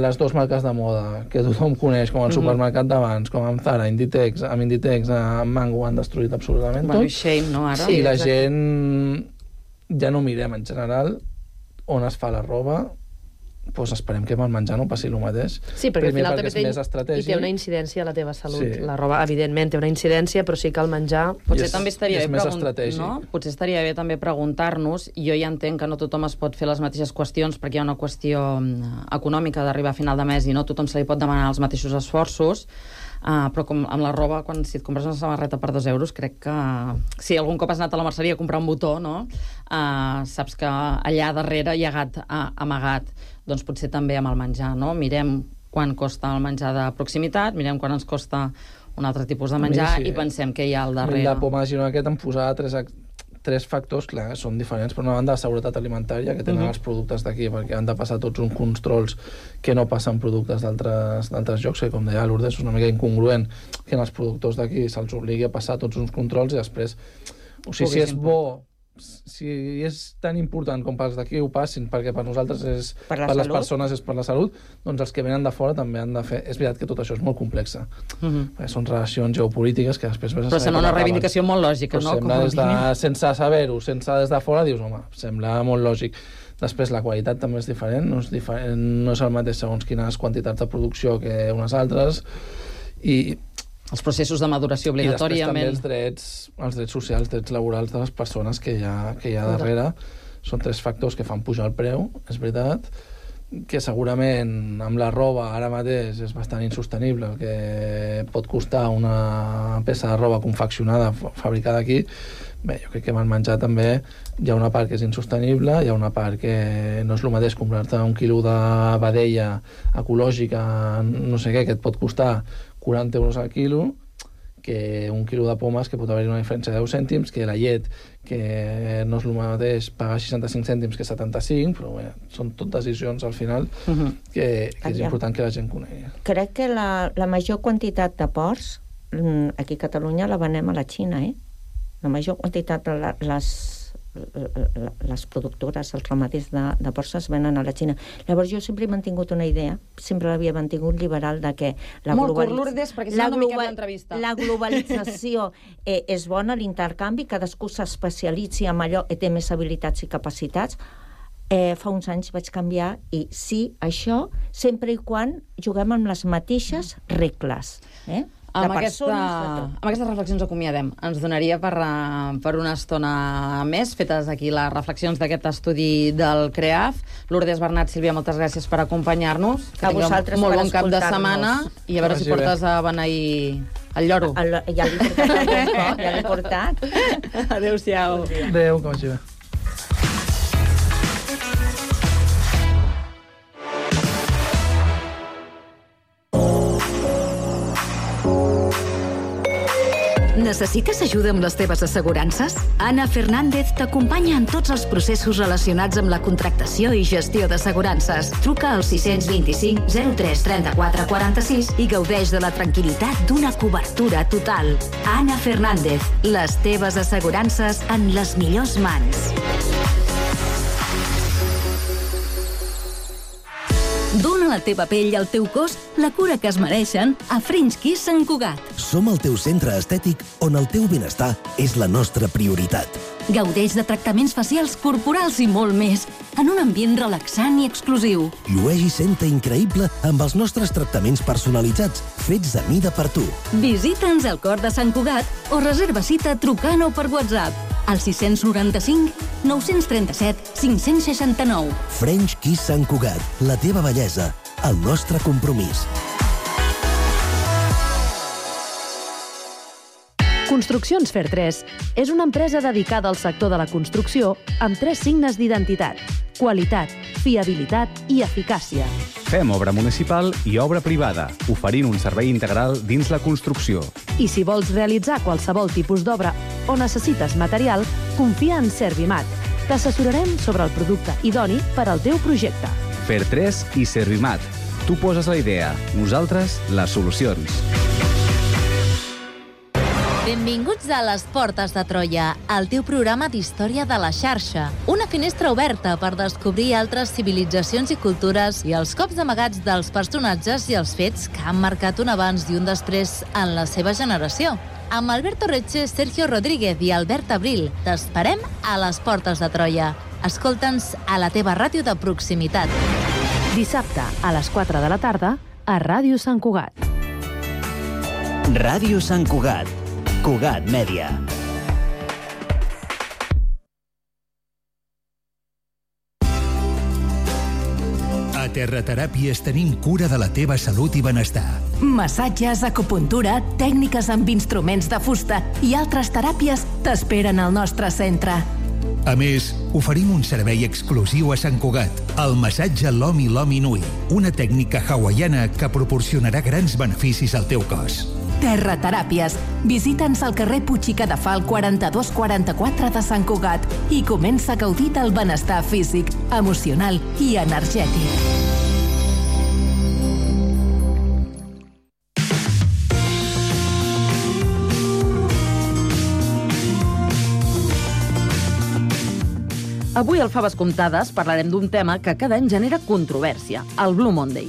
les dues marques de moda, que tothom coneix com el supermercat d'abans, com amb Zara, Inditex, amb Mango, han destruït absolutament tot. Shame, no, ara? I la gent ja no mirem en general on es fa la roba, doncs esperem que amb el menjar no passi el mateix. Sí, perquè al final també té una incidència a la teva salut. Sí. La roba, evidentment, té una incidència, però sí que el menjar... Potser també estaria bé també preguntar-nos, i jo ja entenc que no tothom es pot fer les mateixes qüestions perquè hi ha una qüestió econòmica d'arribar a final de mes i no tothom se li pot demanar els mateixos esforços, però com amb la roba, si et compres una samarreta per 2 euros, crec que si algun cop has anat a la merceria a comprar un botó, no? Saps que allà darrere hi ha gat amagat. Doncs potser també amb el menjar, no? Mirem quan costa el menjar de proximitat, mirem quan ens costa un altre tipus de menjar i pensem què hi ha al darrere. La poma de Girona aquest em posava 3 factors, clar, són diferents. Per una banda, la seguretat alimentària, que tenen els productes d'aquí, perquè han de passar tots uns controls que no passen productes d'altres llocs, que com deia Lourdes, és una mica incongruent que als productors d'aquí se'ls obligui a passar tots uns controls i després, o sigui, si és bo si és tan important com pels d'aquí ho passin, perquè per nosaltres és per les persones és per la salut, doncs els que venen de fora també han de fer. És veritat que tot això és molt complex, perquè són relacions geopolítiques que després... Però sembla una reivindicació molt lògica, no? Sembla sense saber-ho, sense des de fora, dius, home, sembla molt lògic. Després la qualitat també és diferent, no és el mateix segons quines quantitats de producció que unes altres, i els processos de maduració obligatòria. I després també els drets socials, drets laborals de les persones que hi ha darrere. Són 3 factors que fan pujar el preu, és veritat, que segurament amb la roba ara mateix és bastant insostenible, el que pot costar una peça de roba confeccionada, fabricada aquí. Bé, jo crec que amb el menjar també hi ha una part que és insostenible, hi ha una part que no és el mateix comprar-te un quilo de vedella ecològica, no sé què, que et pot costar 40 euros al quilo, que un quilo de pomes que pot haver-hi una diferència de 10 cèntims, que la llet, que no és el mateix pagar 65 cèntims que 75, però bé, són tot decisions al final que és important que la gent conegui. Crec que la major quantitat de porcs aquí a Catalunya la venem a la Xina, La major quantitat de les productores, els ramaderes de porcs es venen a la Xina. Llavors jo sempre he mantingut una idea, sempre l'havia mantingut liberal, de que la globalització és bona, l'intercanvi, cadascú s'especialitzi en allò i té més habilitats i capacitats. Fa uns anys vaig canviar i sí, això, sempre i quan juguem amb les mateixes regles. Amb aquestes reflexions acomiadem. Ens donaria per una estona més, fetes aquí les reflexions d'aquest estudi del CREAF. Lourdes Bernat, Sílvia, moltes gràcies per acompanyar-nos. A vosaltres per escoltar-nos. Molt bon cap de setmana i a veure si portes a beneir el lloro. Ja l'he portat al Bosco, ja l'he portat. Adéu-siau. Adéu, que vagi bé. Necessites ajuda amb les teves assegurances? Ana Fernández t'acompanya en tots els processos relacionats amb la contractació i gestió d'assegurances. Truca al 625 03 34 46 i gaudeix de la tranquil·litat d'una cobertura total. Ana Fernández, les teves assegurances en les millors mans. Dóna a la teva pell i al teu cos la cura que es mereixen a French Kiss Sant Cugat. Som el teu centre estètic on el teu benestar és la nostra prioritat. Gaudeix de tractaments facials, corporals i molt més, en un ambient relaxant i exclusiu. Llueix i senta increïble amb els nostres tractaments personalitzats, fets a mida per tu. Visita'ns al cor de Sant Cugat o reserva cita trucant o per WhatsApp al 695 937 569. French Kiss Sant Cugat, la teva bellesa, el nostre compromís. Construccions Fer3 és una empresa dedicada al sector de la construcció amb 3 signes d'identitat: qualitat, fiabilitat i eficàcia. Fem obra municipal i obra privada, oferint un servei integral dins la construcció. I si vols realitzar qualsevol tipus d'obra o necessites material, confia en Servimat. T'assessorarem sobre el producte idoni per al teu projecte. Fer3 i Servimat. Tu poses la idea, nosaltres les solucions. Benvinguts a Les Portes de Troia, el teu programa d'història de la xarxa. Una finestra oberta per descobrir altres civilitzacions i cultures i els cops amagats dels personatges i els fets que han marcat un abans i un després en la seva generació. Amb Alberto Reche, Sergio Rodríguez i Albert Abril, t'esperem a Les Portes de Troia. Escolta'ns a la teva ràdio de proximitat. Dissabte a les 4 de la tarda a Ràdio Sant Cugat. Ràdio Sant Cugat. Cugat Mèdia. A Terrateràpies tenim cura de la teva salut i benestar. Massatges, acupuntura, tècniques amb instruments de fusta i altres teràpies t'esperen al nostre centre. A més, oferim un servei exclusiu a Sant Cugat, el massatge Lomi Lomi Nui, una tècnica hawaiana que proporcionarà grans beneficis al teu cos. Terrateràpies. Visita'ns al carrer Puig i Cadafal 4244 de Sant Cugat i comença a gaudir del benestar físic, emocional i energètic. Avui al Faves Comptades parlarem d'un tema que cada any genera controvèrsia, el Blue Monday.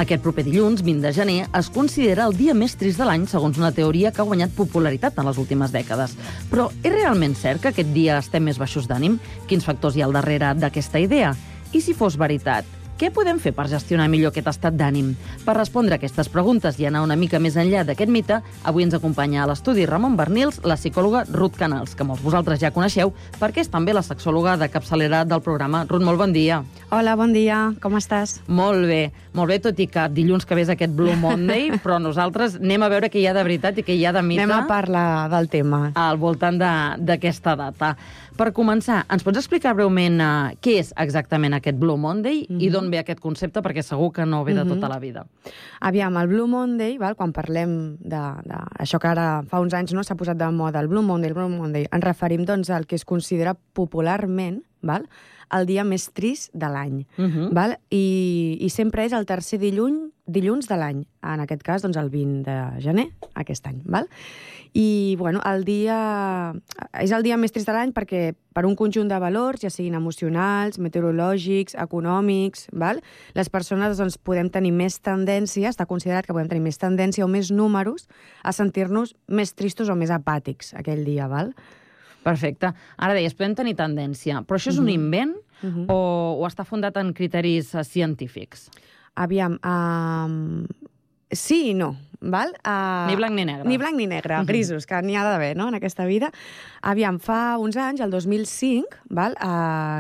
Aquest proper dilluns, 20 de gener, es considera el dia més trist de l'any segons una teoria que ha guanyat popularitat en les últimes dècades. Però és realment cert que aquest dia estem més baixos d'ànim? Quins factors hi ha al darrere d'aquesta idea? I si fos veritat, què podem fer per gestionar millor aquest estat d'ànim? Per respondre a aquestes preguntes i anar una mica més enllà d'aquest mite, avui ens acompanya a l'estudi Ramon Bernils, la psicòloga Ruth Canals, que molts vosaltres ja coneixeu, perquè és també la sexòloga de capçalera del programa. Ruth, molt bon dia. Hola, bon dia. Com estàs? Molt bé, tot i que dilluns que ve és aquest Blue Monday, però nosaltres anem a veure què hi ha de veritat i què hi ha de mite. Anem a parlar del tema. Al voltant d'aquesta data. Per començar, ens pots explicar breument què és exactament aquest Blue Monday i d'on ve aquest concepte, perquè segur que no ve de tota la vida. Aviam, el Blue Monday, quan parlem d'això que ara fa uns anys s'ha posat de moda, el Blue Monday, ens referim al que es considera popularment el dia més trist de l'any. I sempre és el tercer dilluns de l'any. En aquest cas, el 20 de gener, aquest any. I, és el dia més trist de l'any perquè per un conjunt de valors, ja siguin emocionals, meteorològics, econòmics, les persones podem tenir més tendència, està considerat que podem tenir més tendència o més números a sentir-nos més tristos o més apàtics aquell dia, Perfecte. Ara deies, podem tenir tendència, però això és un invent o està fundat en criteris científics? Aviam, sí i no, Ni blanc ni negre. Ni blanc ni negre, grisos, que n'hi ha d'haver, en aquesta vida. Aviam, fa uns anys, el 2005,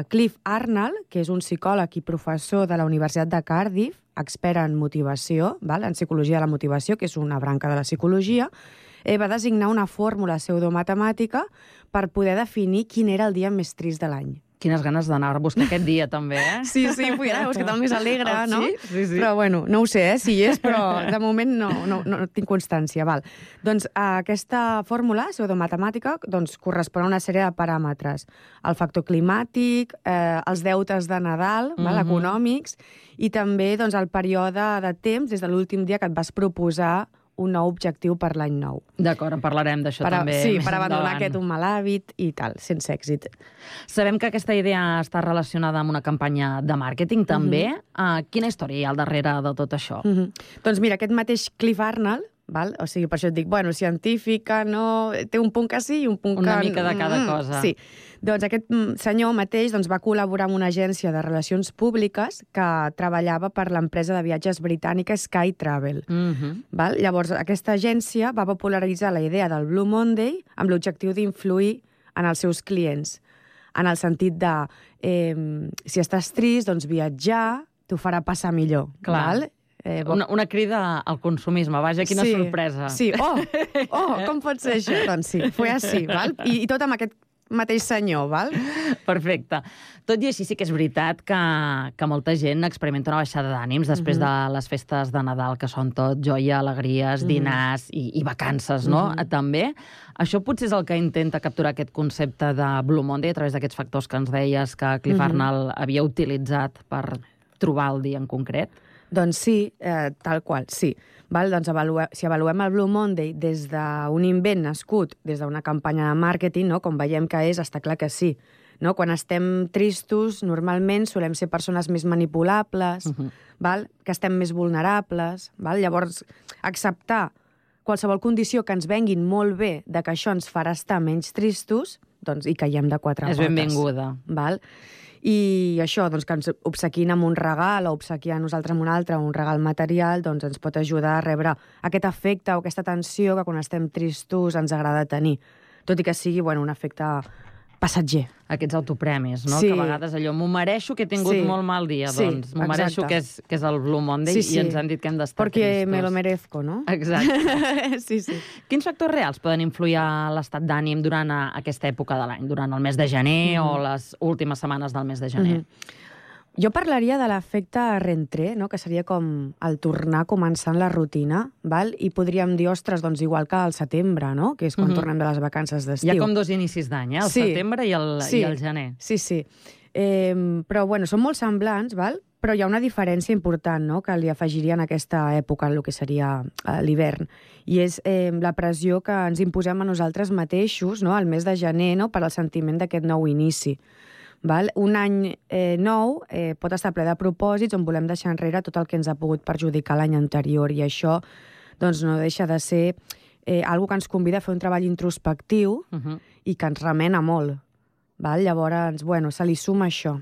Cliff Arnold, que és un psicòleg i professor de la Universitat de Cardiff, expert en motivació, en psicologia de la motivació, que és una branca de la psicologia, va designar una fórmula pseudomatemàtica per poder definir quin era el dia més trist de l'any. Quines ganes d'anar a buscar aquest dia, també, eh? Sí, vull anar a buscar el més alegre, no? Sí. Però, no ho sé, si hi és, però de moment no tinc constància. Doncs aquesta fórmula pseudomatemàtica correspon a una sèrie de paràmetres. El factor climàtic, els deutes de Nadal, econòmics, i també el període de temps des de l'últim dia que et vas proposar un nou objectiu per l'any nou. D'acord, en parlarem d'això també. Sí, per abandonar aquest un mal hàbit i tal, sense èxit. Sabem que aquesta idea està relacionada amb una campanya de màrqueting, també. Quina història hi ha al darrere de tot això? Doncs mira, aquest mateix Cliff Arnold, o sigui, per això et dic, científica, no... Té un punt que sí i un punt que... Una mica de cada cosa. Sí. Doncs aquest senyor mateix va col·laborar amb una agència de relacions públiques que treballava per l'empresa de viatges britànica Sky Travel. Llavors, aquesta agència va popularitzar la idea del Blue Monday amb l'objectiu d'influir en els seus clients, en el sentit de si estàs trist, doncs viatjar t'ho farà passar millor. Clar. Una crida al consumisme, vaja, quina sorpresa. Sí, com pot ser això? Doncs sí, fue així, I tot amb aquest mateix senyor, Perfecte. Tot i així sí que és veritat que molta gent experimenta una baixada d'ànims després de les festes de Nadal, que són tot joia, alegries, dinars i vacances, no? També. Això potser és el que intenta capturar aquest concepte de Blue Monday a través d'aquests factors que ens deies que Cliff Arnold havia utilitzat per trobar el dia en concret? Doncs sí, tal qual, sí. Doncs si avaluem el Blue Monday des d'un invent nascut, des d'una campanya de màrqueting, com veiem que és, està clar que sí. Quan estem tristos, normalment solem ser persones més manipulables, que estem més vulnerables. Llavors, acceptar qualsevol condició que ens venguin molt bé de que això ens farà estar menys tristos, doncs hi caiem de quatre potes. És benvinguda. I això, que ens obsequin amb un regal o obsequiar a nosaltres amb un altre, un regal material, doncs ens pot ajudar a rebre aquest efecte o aquesta tensió que quan estem tristos ens agrada tenir. Tot i que sigui, un efecte passatger. Aquests autopremis, no? Que a vegades allò, m'ho mereixo que he tingut molt mal dia, doncs m'ho mereixo que és el Blue Monday i ens han dit que hem d'estar tristos. Perquè me lo merezco, no? Exacte. Sí. Quins factors reals poden influir a l'estat d'ànim durant aquesta època de l'any, durant el mes de gener o les últimes setmanes del mes de gener? Jo parlaria de l'efecte rentré, que seria com el tornar començant la rutina, i podríem dir, ostres, doncs igual que al setembre, que és quan tornem de les vacances d'estiu. Hi ha com dos inicis d'any, el setembre i el gener. Sí. Però, són molt semblants, però hi ha una diferència important que li afegiria en aquesta època, el que seria l'hivern, i és la pressió que ens imposem a nosaltres mateixos al mes de gener per al sentiment d'aquest nou inici. Val? Un any nou pot estar ple de propòsits on volem deixar enrere tot el que ens ha pogut perjudicar l'any anterior, i això doncs, no deixa de ser algo que ens convida a fer un treball introspectiu i que ens remena molt. Val? Llavors, bueno, se li suma això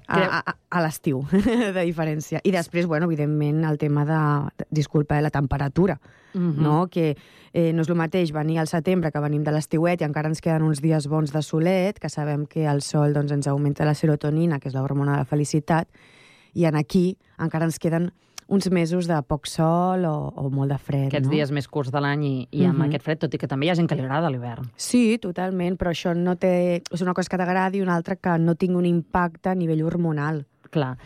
a l'estiu, de diferència. I després, bueno, evidentment, el tema de la temperatura, no? Que no és el mateix venir al setembre que venim de l'estiuet i encara ens queden uns dies bons de solet, que sabem que el sol doncs, ens augmenta la serotonina, que és l'hormona de la felicitat, i aquí encara ens queden uns mesos de poc sol o molt de fred. Aquests dies més curts de l'any i amb aquest fred, tot i que també hi ha gent que li agrada l'hivern. Sí, totalment, però això no té... És una cosa que t'agradi i una altra que no tingui un impacte a nivell hormonal. Clar.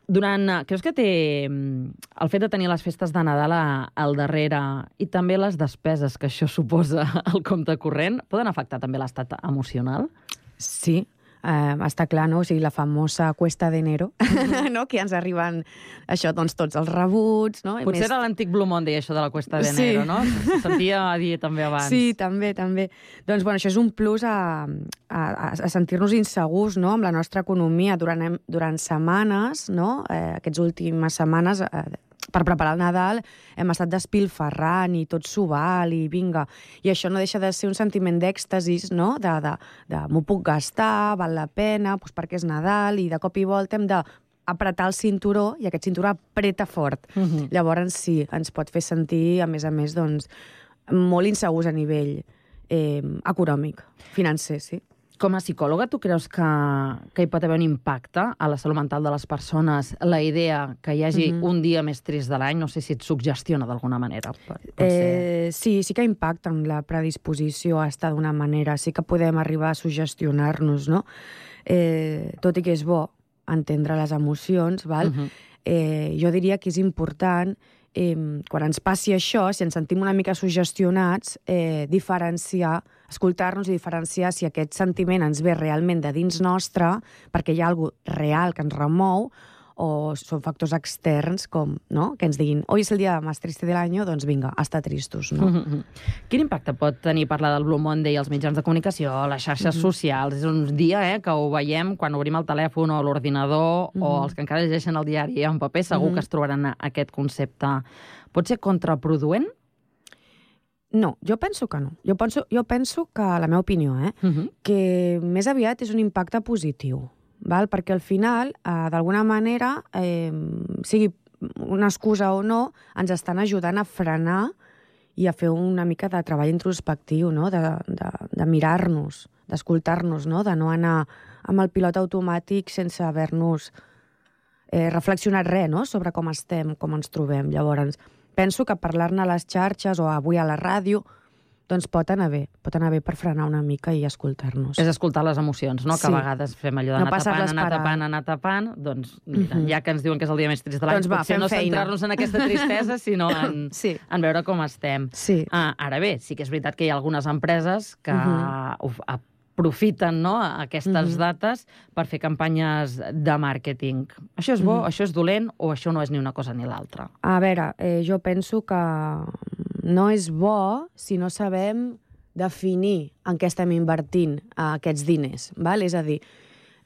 Creus que té el fet de tenir les festes de Nadal al darrere i també les despeses que això suposa al compte corrent poden afectar també l'estat emocional? Sí, està clar, no? O sigui, la famosa cuesta d'enero, no? Que ja ens arriben això, doncs, tots els rebuts, no? Potser era l'antic Blue Monday, això de la cuesta d'enero, no? Se sentia a dir també abans. Sí, també. Doncs, bueno, això és un plus a sentir-nos insegurs, no?, amb la nostra economia durant setmanes, no?, aquestes últimes setmanes, per preparar el Nadal hem estat despilferrant i tot s'ho val i vinga. I això no deixa de ser un sentiment d'èxtasis, no? De m'ho puc gastar, val la pena, doncs perquè és Nadal, i de cop i volta hem d'apretar el cinturó i aquest cinturó apreta fort. Llavors sí, ens pot fer sentir, a més, doncs, molt insegurs a nivell econòmic, financer, sí. Com a psicòloga, tu creus que hi pot haver un impacte a la salut mental de les persones la idea que hi hagi un dia més trist de l'any? No sé si et suggestiona d'alguna manera. Sí que impacta en la predisposició a estar d'una manera. Sí que podem arribar a sugestionar-nos, no? Tot i que és bo entendre les emocions, val? Jo diria que és important, quan ens passi això, si ens sentim una mica sugestionats, diferenciar, escoltar-nos i diferenciar si aquest sentiment ens ve realment de dins nostre, perquè hi ha alguna cosa real que ens remou, o són factors externs, com, no?, que ens diguin hoy és el dia més trist de l'any, doncs vinga, a estar tristos, no? Quin impacte pot tenir parlar del Blue Monday als mitjans de comunicació, a les xarxes socials? És un dia que ho veiem quan obrim el telèfon o l'ordinador, o els que encara llegeixen el diari en paper, segur que es trobaran aquest concepte. Pot ser contraproduent? No, jo penso que no. Jo penso que, la meva opinió, que més aviat és un impacte positiu, val? Perquè al final, d'alguna manera, sigui una excusa o no, ens estan ajudant a frenar i a fer una mica de treball introspectiu, no? De mirar-nos, d'escoltar-nos, no? De no anar amb el pilot automàtic sense haver-nos reflexionat res, no?, sobre com estem, com ens trobem. Llavors, penso que parlar-ne a les xarxes o avui a la ràdio doncs pot anar bé per frenar una mica i escoltar-nos. És escoltar les emocions, no? Que a vegades fem allò d'anar tapant, doncs mira, ja que ens diuen que és el dia més trist de l'any, potser no centrar-nos en aquesta tristesa, sinó en veure com estem. Ara bé, sí que és veritat que hi ha algunes empreses que aprofiten aquestes dates per fer campanyes de màrqueting. Això és bo, això és dolent, o això no és ni una cosa ni l'altra? A veure, jo penso que no és bo si no sabem definir en què estem invertint aquests diners, val? És a dir,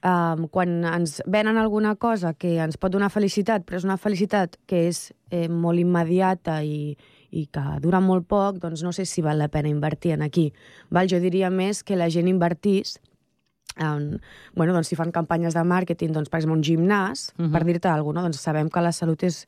quan ens venen alguna cosa que ens pot donar felicitat, però és una felicitat que és molt immediata i que dura molt poc, doncs no sé si val la pena invertir en aquí. Jo diria més que la gent invertís si fan campanyes de màrqueting, doncs, per exemple, un gimnàs, per dir-te alguna cosa, doncs sabem que la salut és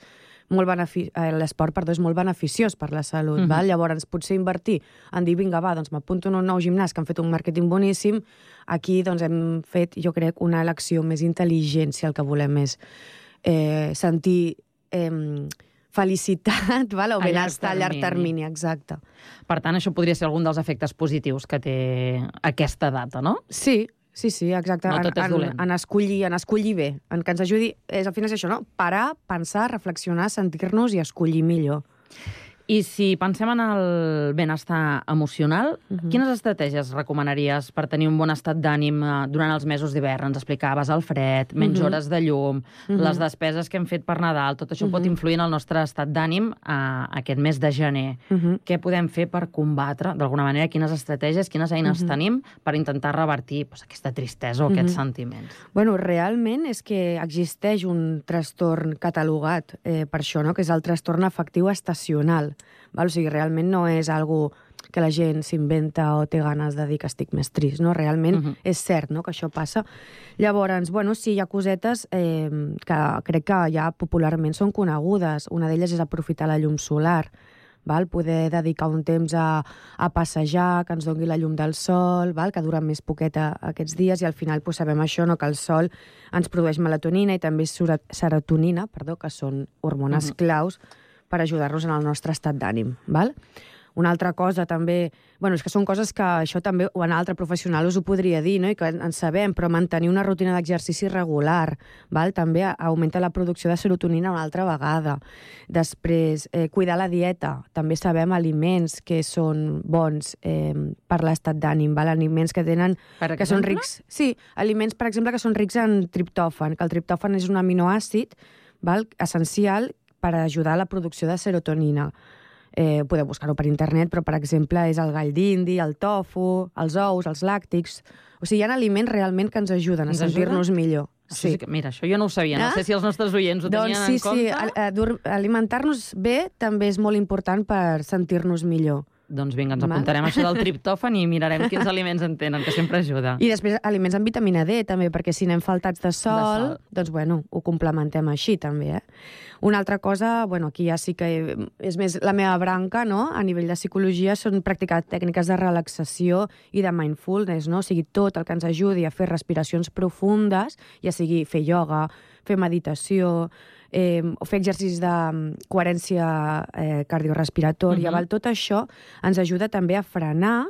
l'esport, és molt beneficiós per la salut. Llavors, potser invertir en dir, vinga, doncs m'apunto en un nou gimnàs que han fet un màrqueting boníssim, aquí doncs hem fet, jo crec, una elecció més intel·ligent, si el que volem és sentir felicitat o benestar a llarg termini, exacte. Per tant, això podria ser algun dels efectes positius que té aquesta data, no? Sí, exacte. No tot és dolent. En escollir bé, en que ens ajudi, al final és això, no? Parar, pensar, reflexionar, sentir-nos i escollir millor. I si pensem en el benestar emocional, quines estratègies recomanaries per tenir un bon estat d'ànim durant els mesos d'hivern? Ens explicaves el fred, menys hores de llum, les despeses que hem fet per Nadal, tot això pot influir en el nostre estat d'ànim aquest mes de gener. Què podem fer per combatre, d'alguna manera, quines estratègies, quines eines tenim per intentar revertir aquesta tristesa o aquests sentiments? Bueno, realment és que existeix un trastorn catalogat per això, no? Que és el trastorn afectiu estacional. Val? O sigui, realment no és algo que la gent s'inventa o té ganes de dir que estic més trist, no? Realment és cert, no?, que això passa. Llavors, bueno, sí, hi ha cosetes que crec que ja popularment són conegudes. Una d'elles és aprofitar la llum solar, val? Poder dedicar un temps a passejar, que ens doni la llum del sol, val? Que dura més poqueta aquests dies, i al final pues, sabem això, no? Que el sol ens produeix melatonina i també serotonina, que són hormones claus per ajudar-nos en el nostre estat d'ànim, val? Una altra cosa també... Bueno, és que són coses que això també un altre professional us ho podria dir, no? I que en sabem, però mantenir una rutina d'exercici regular, val? També augmenta la producció de serotonina una altra vegada. Després, cuidar la dieta. També sabem aliments que són bons per l'estat d'ànim, val? Aliments que tenen... que són rics... Sí, aliments, per exemple, que són rics en triptòfan, que el triptòfan és un aminoàcid, val? Essencial per ajudar a la producció de serotonina. Podeu buscar-ho per internet, però, per exemple, és el gall d'indi, el tofu, els ous, els làctics... O sigui, hi ha aliments realment que ens ajuden a sentir-nos millor. Sí. Mira, això jo no ho sabia. No sé si els nostres oients ho tenien en compte. Sí, alimentar-nos bé també és molt important per sentir-nos millor. Doncs vinga, ens apuntarem això del triptòfan i mirarem quins aliments en tenen, que sempre ajuda. I després aliments amb vitamina D, també, perquè si anem faltats de sol, doncs, bueno, ho complementem així, també, Una altra cosa, bueno, aquí ja sí que és més la meva branca, no?, a nivell de psicologia, són practicar tècniques de relaxació i de mindfulness, no? O sigui, tot el que ens ajudi a fer respiracions profundes, ja sigui fer ioga, fer meditació, o fer exercicis de coherència cardiorespiratòria, tot això ens ajuda també a frenar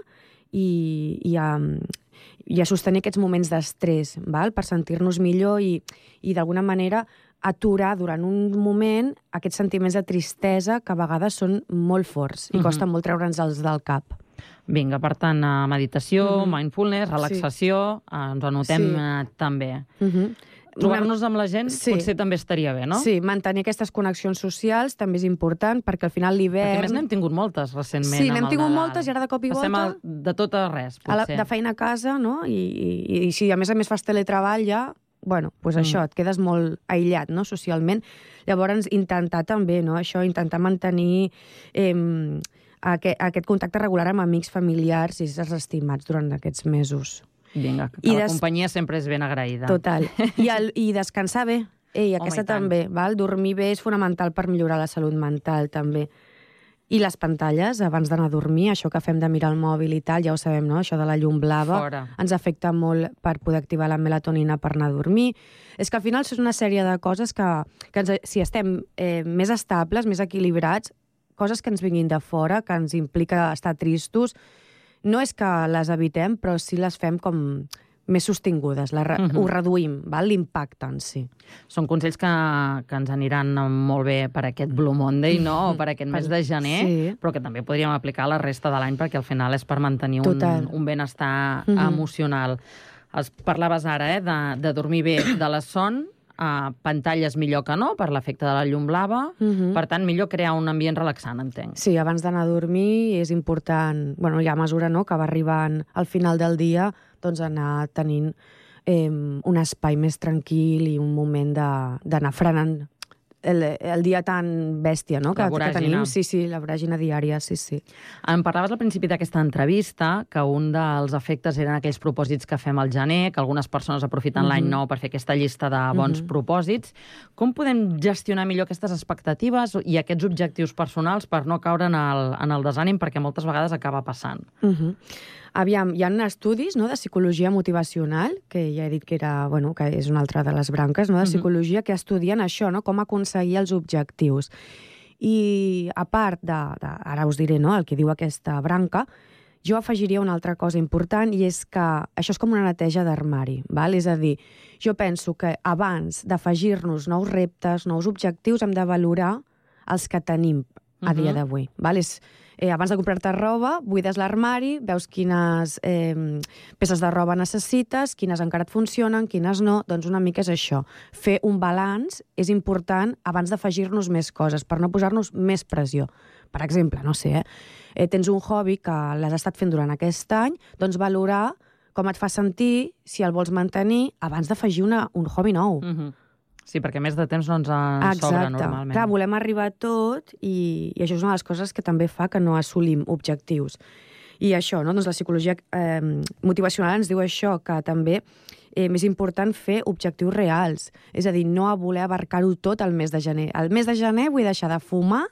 i a sostenir aquests moments d'estrès, per sentir-nos millor i d'alguna manera aturar durant un moment aquests sentiments de tristesa que a vegades són molt forts i costa molt treure'ns-els del cap. Vinga, per tant, meditació, mindfulness, relaxació, ens ho anotem també. Trobar-nos amb la gent potser també estaria bé, no? Sí, mantenir aquestes connexions socials també és important, perquè al final l'hivern... Perquè més n'hem tingut moltes recentment. Sí, n'hem tingut moltes i ara de cop i volta... Passem de tot a res, potser. De feina a casa, no? I si a més fas teletreball ja, bueno, doncs això, et quedes molt aïllat, no?, socialment. Llavors, intentar també, no?, això, intentar mantenir aquest contacte regular amb amics, familiars i éssers estimats durant aquests mesos. Vinga, que la companyia sempre és ben agraïda. Total. I descansar bé. Aquesta també, val? Dormir bé és fonamental per millorar la salut mental, també. I les pantalles, abans d'anar a dormir, això que fem de mirar el mòbil i tal, ja ho sabem, no?, això de la llum blava, ens afecta molt per poder activar la melatonina per anar a dormir. És que al final és una sèrie de coses que si estem més estables, més equilibrats, coses que ens vinguin de fora, que ens implica estar tristos, no és que les evitem, però sí les fem com més sostingudes, ho reduïm, l'impacte en si. Són consells que ens aniran molt bé per aquest Blue Monday, no?, o per aquest mes de gener, però que també podríem aplicar la resta de l'any, perquè al final és per mantenir un benestar emocional. Parlaves ara de dormir bé, de la son, pantalles millor que no, per l'efecte de la llum blava. Per tant, millor crear un ambient relaxant, entenc. Sí, abans d'anar a dormir és important, bueno, ja a mesura que va arribant al final del dia, doncs anar tenint un espai més tranquil i un moment d'anar frenant el dia tan bèstia, no?, que tenim. Sí, la voràgina diària, sí. Em parlaves al principi d'aquesta entrevista que un dels efectes eren aquells propòsits que fem al gener, que algunes persones aprofiten l'any nou per fer aquesta llista de bons propòsits. Com podem gestionar millor aquestes expectatives i aquests objectius personals per no caure en el desànim, perquè moltes vegades acaba passant? Aviam, hi ha estudis, no?, de psicologia motivacional, que ja he dit que que és una altra de les branques, no?, de psicologia, que estudien això, no?, com aconseguir els objectius. I a part ara us diré, no?, el que diu aquesta branca, jo afegiria una altra cosa important, i és que això és com una neteja d'armari, val? És a dir, jo penso que abans d'afegir-nos nous reptes, nous objectius, hem de valorar els que tenim a dia d'avui. Abans de comprar-te roba, buides l'armari, veus quines peces de roba necessites, quines encara et funcionen, quines no, doncs una mica és això. Fer un balanç és important abans d'afegir-nos més coses, per no posar-nos més pressió. Per exemple, no sé, tens un hobby que l'has estat fent durant aquest any, doncs valorar com et fa sentir, si el vols mantenir, abans d'afegir un hobby nou. Sí, perquè més de temps no ens sobra normalment. Clar, volem arribar a tot i això és una de les coses que també fa que no assolim objectius. I això, no? Doncs la psicologia motivacional ens diu això, que també és important fer objectius reals. És a dir, no voler abarcar-ho tot al mes de gener. Al mes de gener vull deixar de fumar,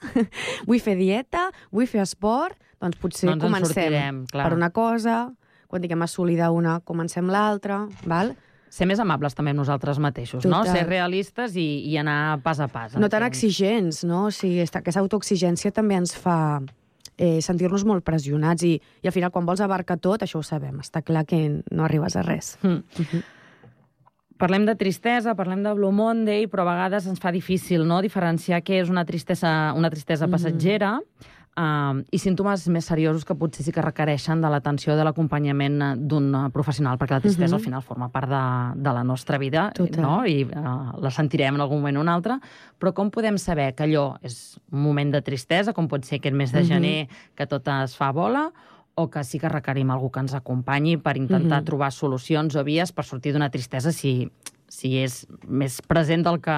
vull fer dieta, vull fer esport, doncs potser comencem per una cosa, quan tinguem assolida una, comencem l'altra, val? Ser més amables també amb nosaltres mateixos, no? Ser realistes i anar pas a pas. No tan exigents, no? O sigui, aquesta autoexigència també ens fa sentir-nos molt pressionats i al final quan vols abarcar tot, això ho sabem, està clar que no arribes a res. Parlem de tristesa, parlem de Blue Monday, però a vegades ens fa difícil, no?, diferenciar què és una tristesa passatgera i símptomes més seriosos que potser sí que requereixen de l'atenció i de l'acompanyament d'un professional, perquè la tristesa al final forma part de la nostra vida, no? I la sentirem en algun moment o un altre, però com podem saber que allò és un moment de tristesa, com pot ser aquest mes de gener que tot es fa bola, o que sí que requerim algú que ens acompanyi per intentar trobar solucions o vies per sortir d'una tristesa si és més present del que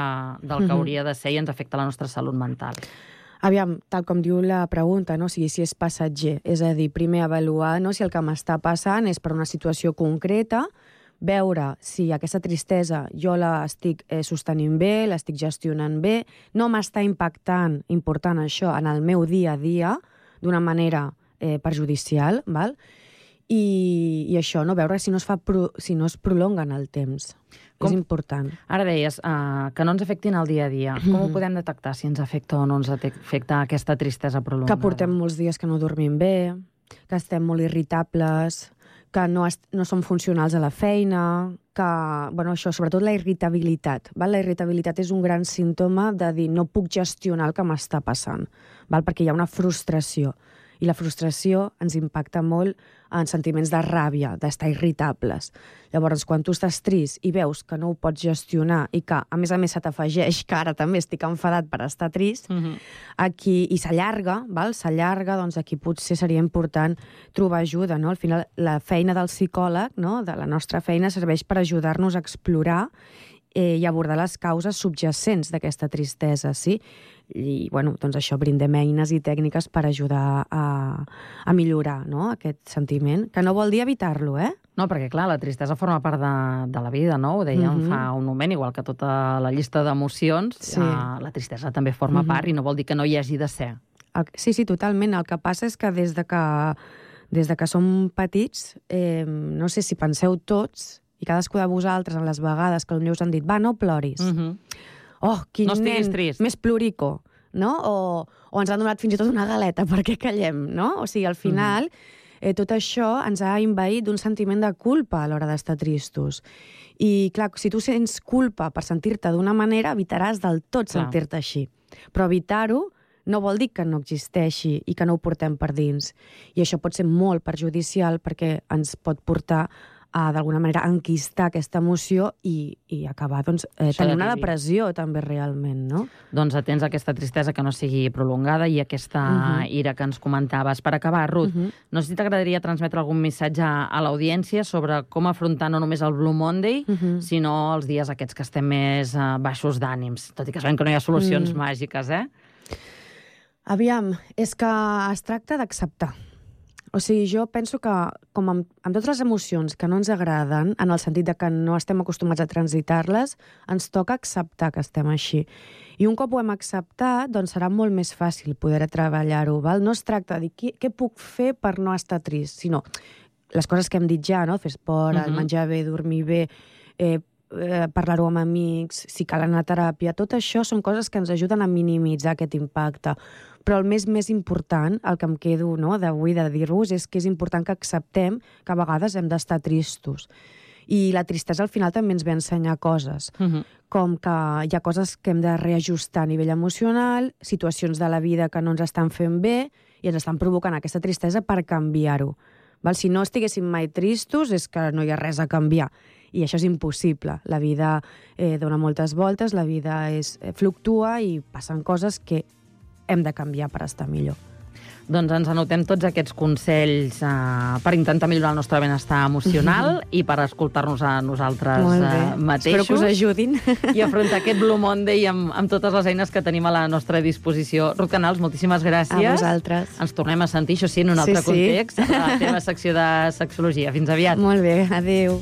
hauria de ser i ens afecta la nostra salut mental. Aviam, tal com diu la pregunta, no? O sigui, si és passatger, és a dir, primer avaluar si el que m'està passant és per una situació concreta, veure si aquesta tristesa jo l'estic sostenint bé, l'estic gestionant bé, no m'està important això en el meu dia a dia d'una manera perjudicial, val? I això, no? Veure si no es prolonga en el temps. És important. Ara deies que no ens afectin el dia a dia. Com ho podem detectar, si ens afecta o no ens afecta aquesta tristesa prolongada? Que portem molts dies que no dormim bé, que estem molt irritables, que no som funcionals a la feina, que, això, sobretot la irritabilitat. La irritabilitat és un gran símptoma de dir no puc gestionar el que m'està passant, perquè hi ha una frustració. I la frustració ens impacta molt en sentiments de ràbia, d'estar irritables. Llavors, quan tu estàs trist i veus que no ho pots gestionar i que, a més se t'afegeix que ara també estic enfadat per estar trist, aquí, i s'allarga, doncs aquí potser seria important trobar ajuda, no? Al final, la feina del psicòleg, no?, de la nostra feina, serveix per ajudar-nos a explorar i abordar les causes subjacents d'aquesta tristesa, sí? I, doncs això, brindem eines i tècniques per ajudar a millorar, no?, aquest sentiment, que no vol dir evitar-lo, No, perquè, clar, la tristesa forma part de la vida, no? Ho dèiem fa un moment, igual que tota la llista d'emocions, la tristesa també forma part i no vol dir que no hi hagi de ser. Sí, totalment. El que passa és que des de que som petits, no sé si penseu tots, i cadascú de vosaltres, en les vegades que potser us han dit, va, no ploris. Oh, quin nen més plorico, no? O ens han donat fins i tot una galeta perquè callem, no? O sigui, al final, tot això ens ha envaït d'un sentiment de culpa a l'hora d'estar tristos. I, clar, si tu sents culpa per sentir-te d'una manera, evitaràs del tot sentir-te així. Però evitar-ho no vol dir que no existeixi i que no ho portem per dins. I això pot ser molt perjudicial perquè ens pot portar a, d'alguna manera, enquistar aquesta emoció i acabar, tenir una depressió també realment, no? Doncs atents a aquesta tristesa que no sigui prolongada i aquesta ira que ens comentaves. Per acabar, Ruth, no sé si t'agradaria transmetre algun missatge a l'audiència sobre com afrontar no només el Blue Monday, sinó els dies aquests que estem més baixos d'ànims, tot i que sabem que no hi ha solucions màgiques, Aviam, és que es tracta d'acceptar. O sigui, jo penso que, com amb totes les emocions que no ens agraden, en el sentit de que no estem acostumats a transitar-les, ens toca acceptar que estem així. I un cop ho hem acceptat, doncs serà molt més fàcil poder treballar-ho, val? No es tracta de dir què puc fer per no estar trist, sinó les coses que hem dit ja, no? Fer esport, menjar bé, dormir bé, parlar-ho amb amics, si cal anar a teràpia, tot això són coses que ens ajuden a minimitzar aquest impacte. Però el més important, el que em quedo d'avui de dir-vos, és que és important que acceptem que a vegades hem d'estar tristos. I la tristesa al final també ens ve a ensenyar coses, com que hi ha coses que hem de reajustar a nivell emocional, situacions de la vida que no ens estan fent bé i ens estan provocant aquesta tristesa per canviar-ho. Si no estiguéssim mai tristos és que no hi ha res a canviar. I això és impossible. La vida dona moltes voltes, la vida fluctua i passen coses que hem de canviar per estar millor. Doncs ens anotem tots aquests consells per intentar millorar el nostre benestar emocional i per escoltar-nos a nosaltres mateixos. Espero que us ajudin. I afrontar aquest Blue Monday amb totes les eines que tenim a la nostra disposició. Ruth Canals, moltíssimes gràcies. A vosaltres. Ens tornem a sentir, això sí, en un altre context, a la teva secció de sexologia. Fins aviat. Molt bé, adéu.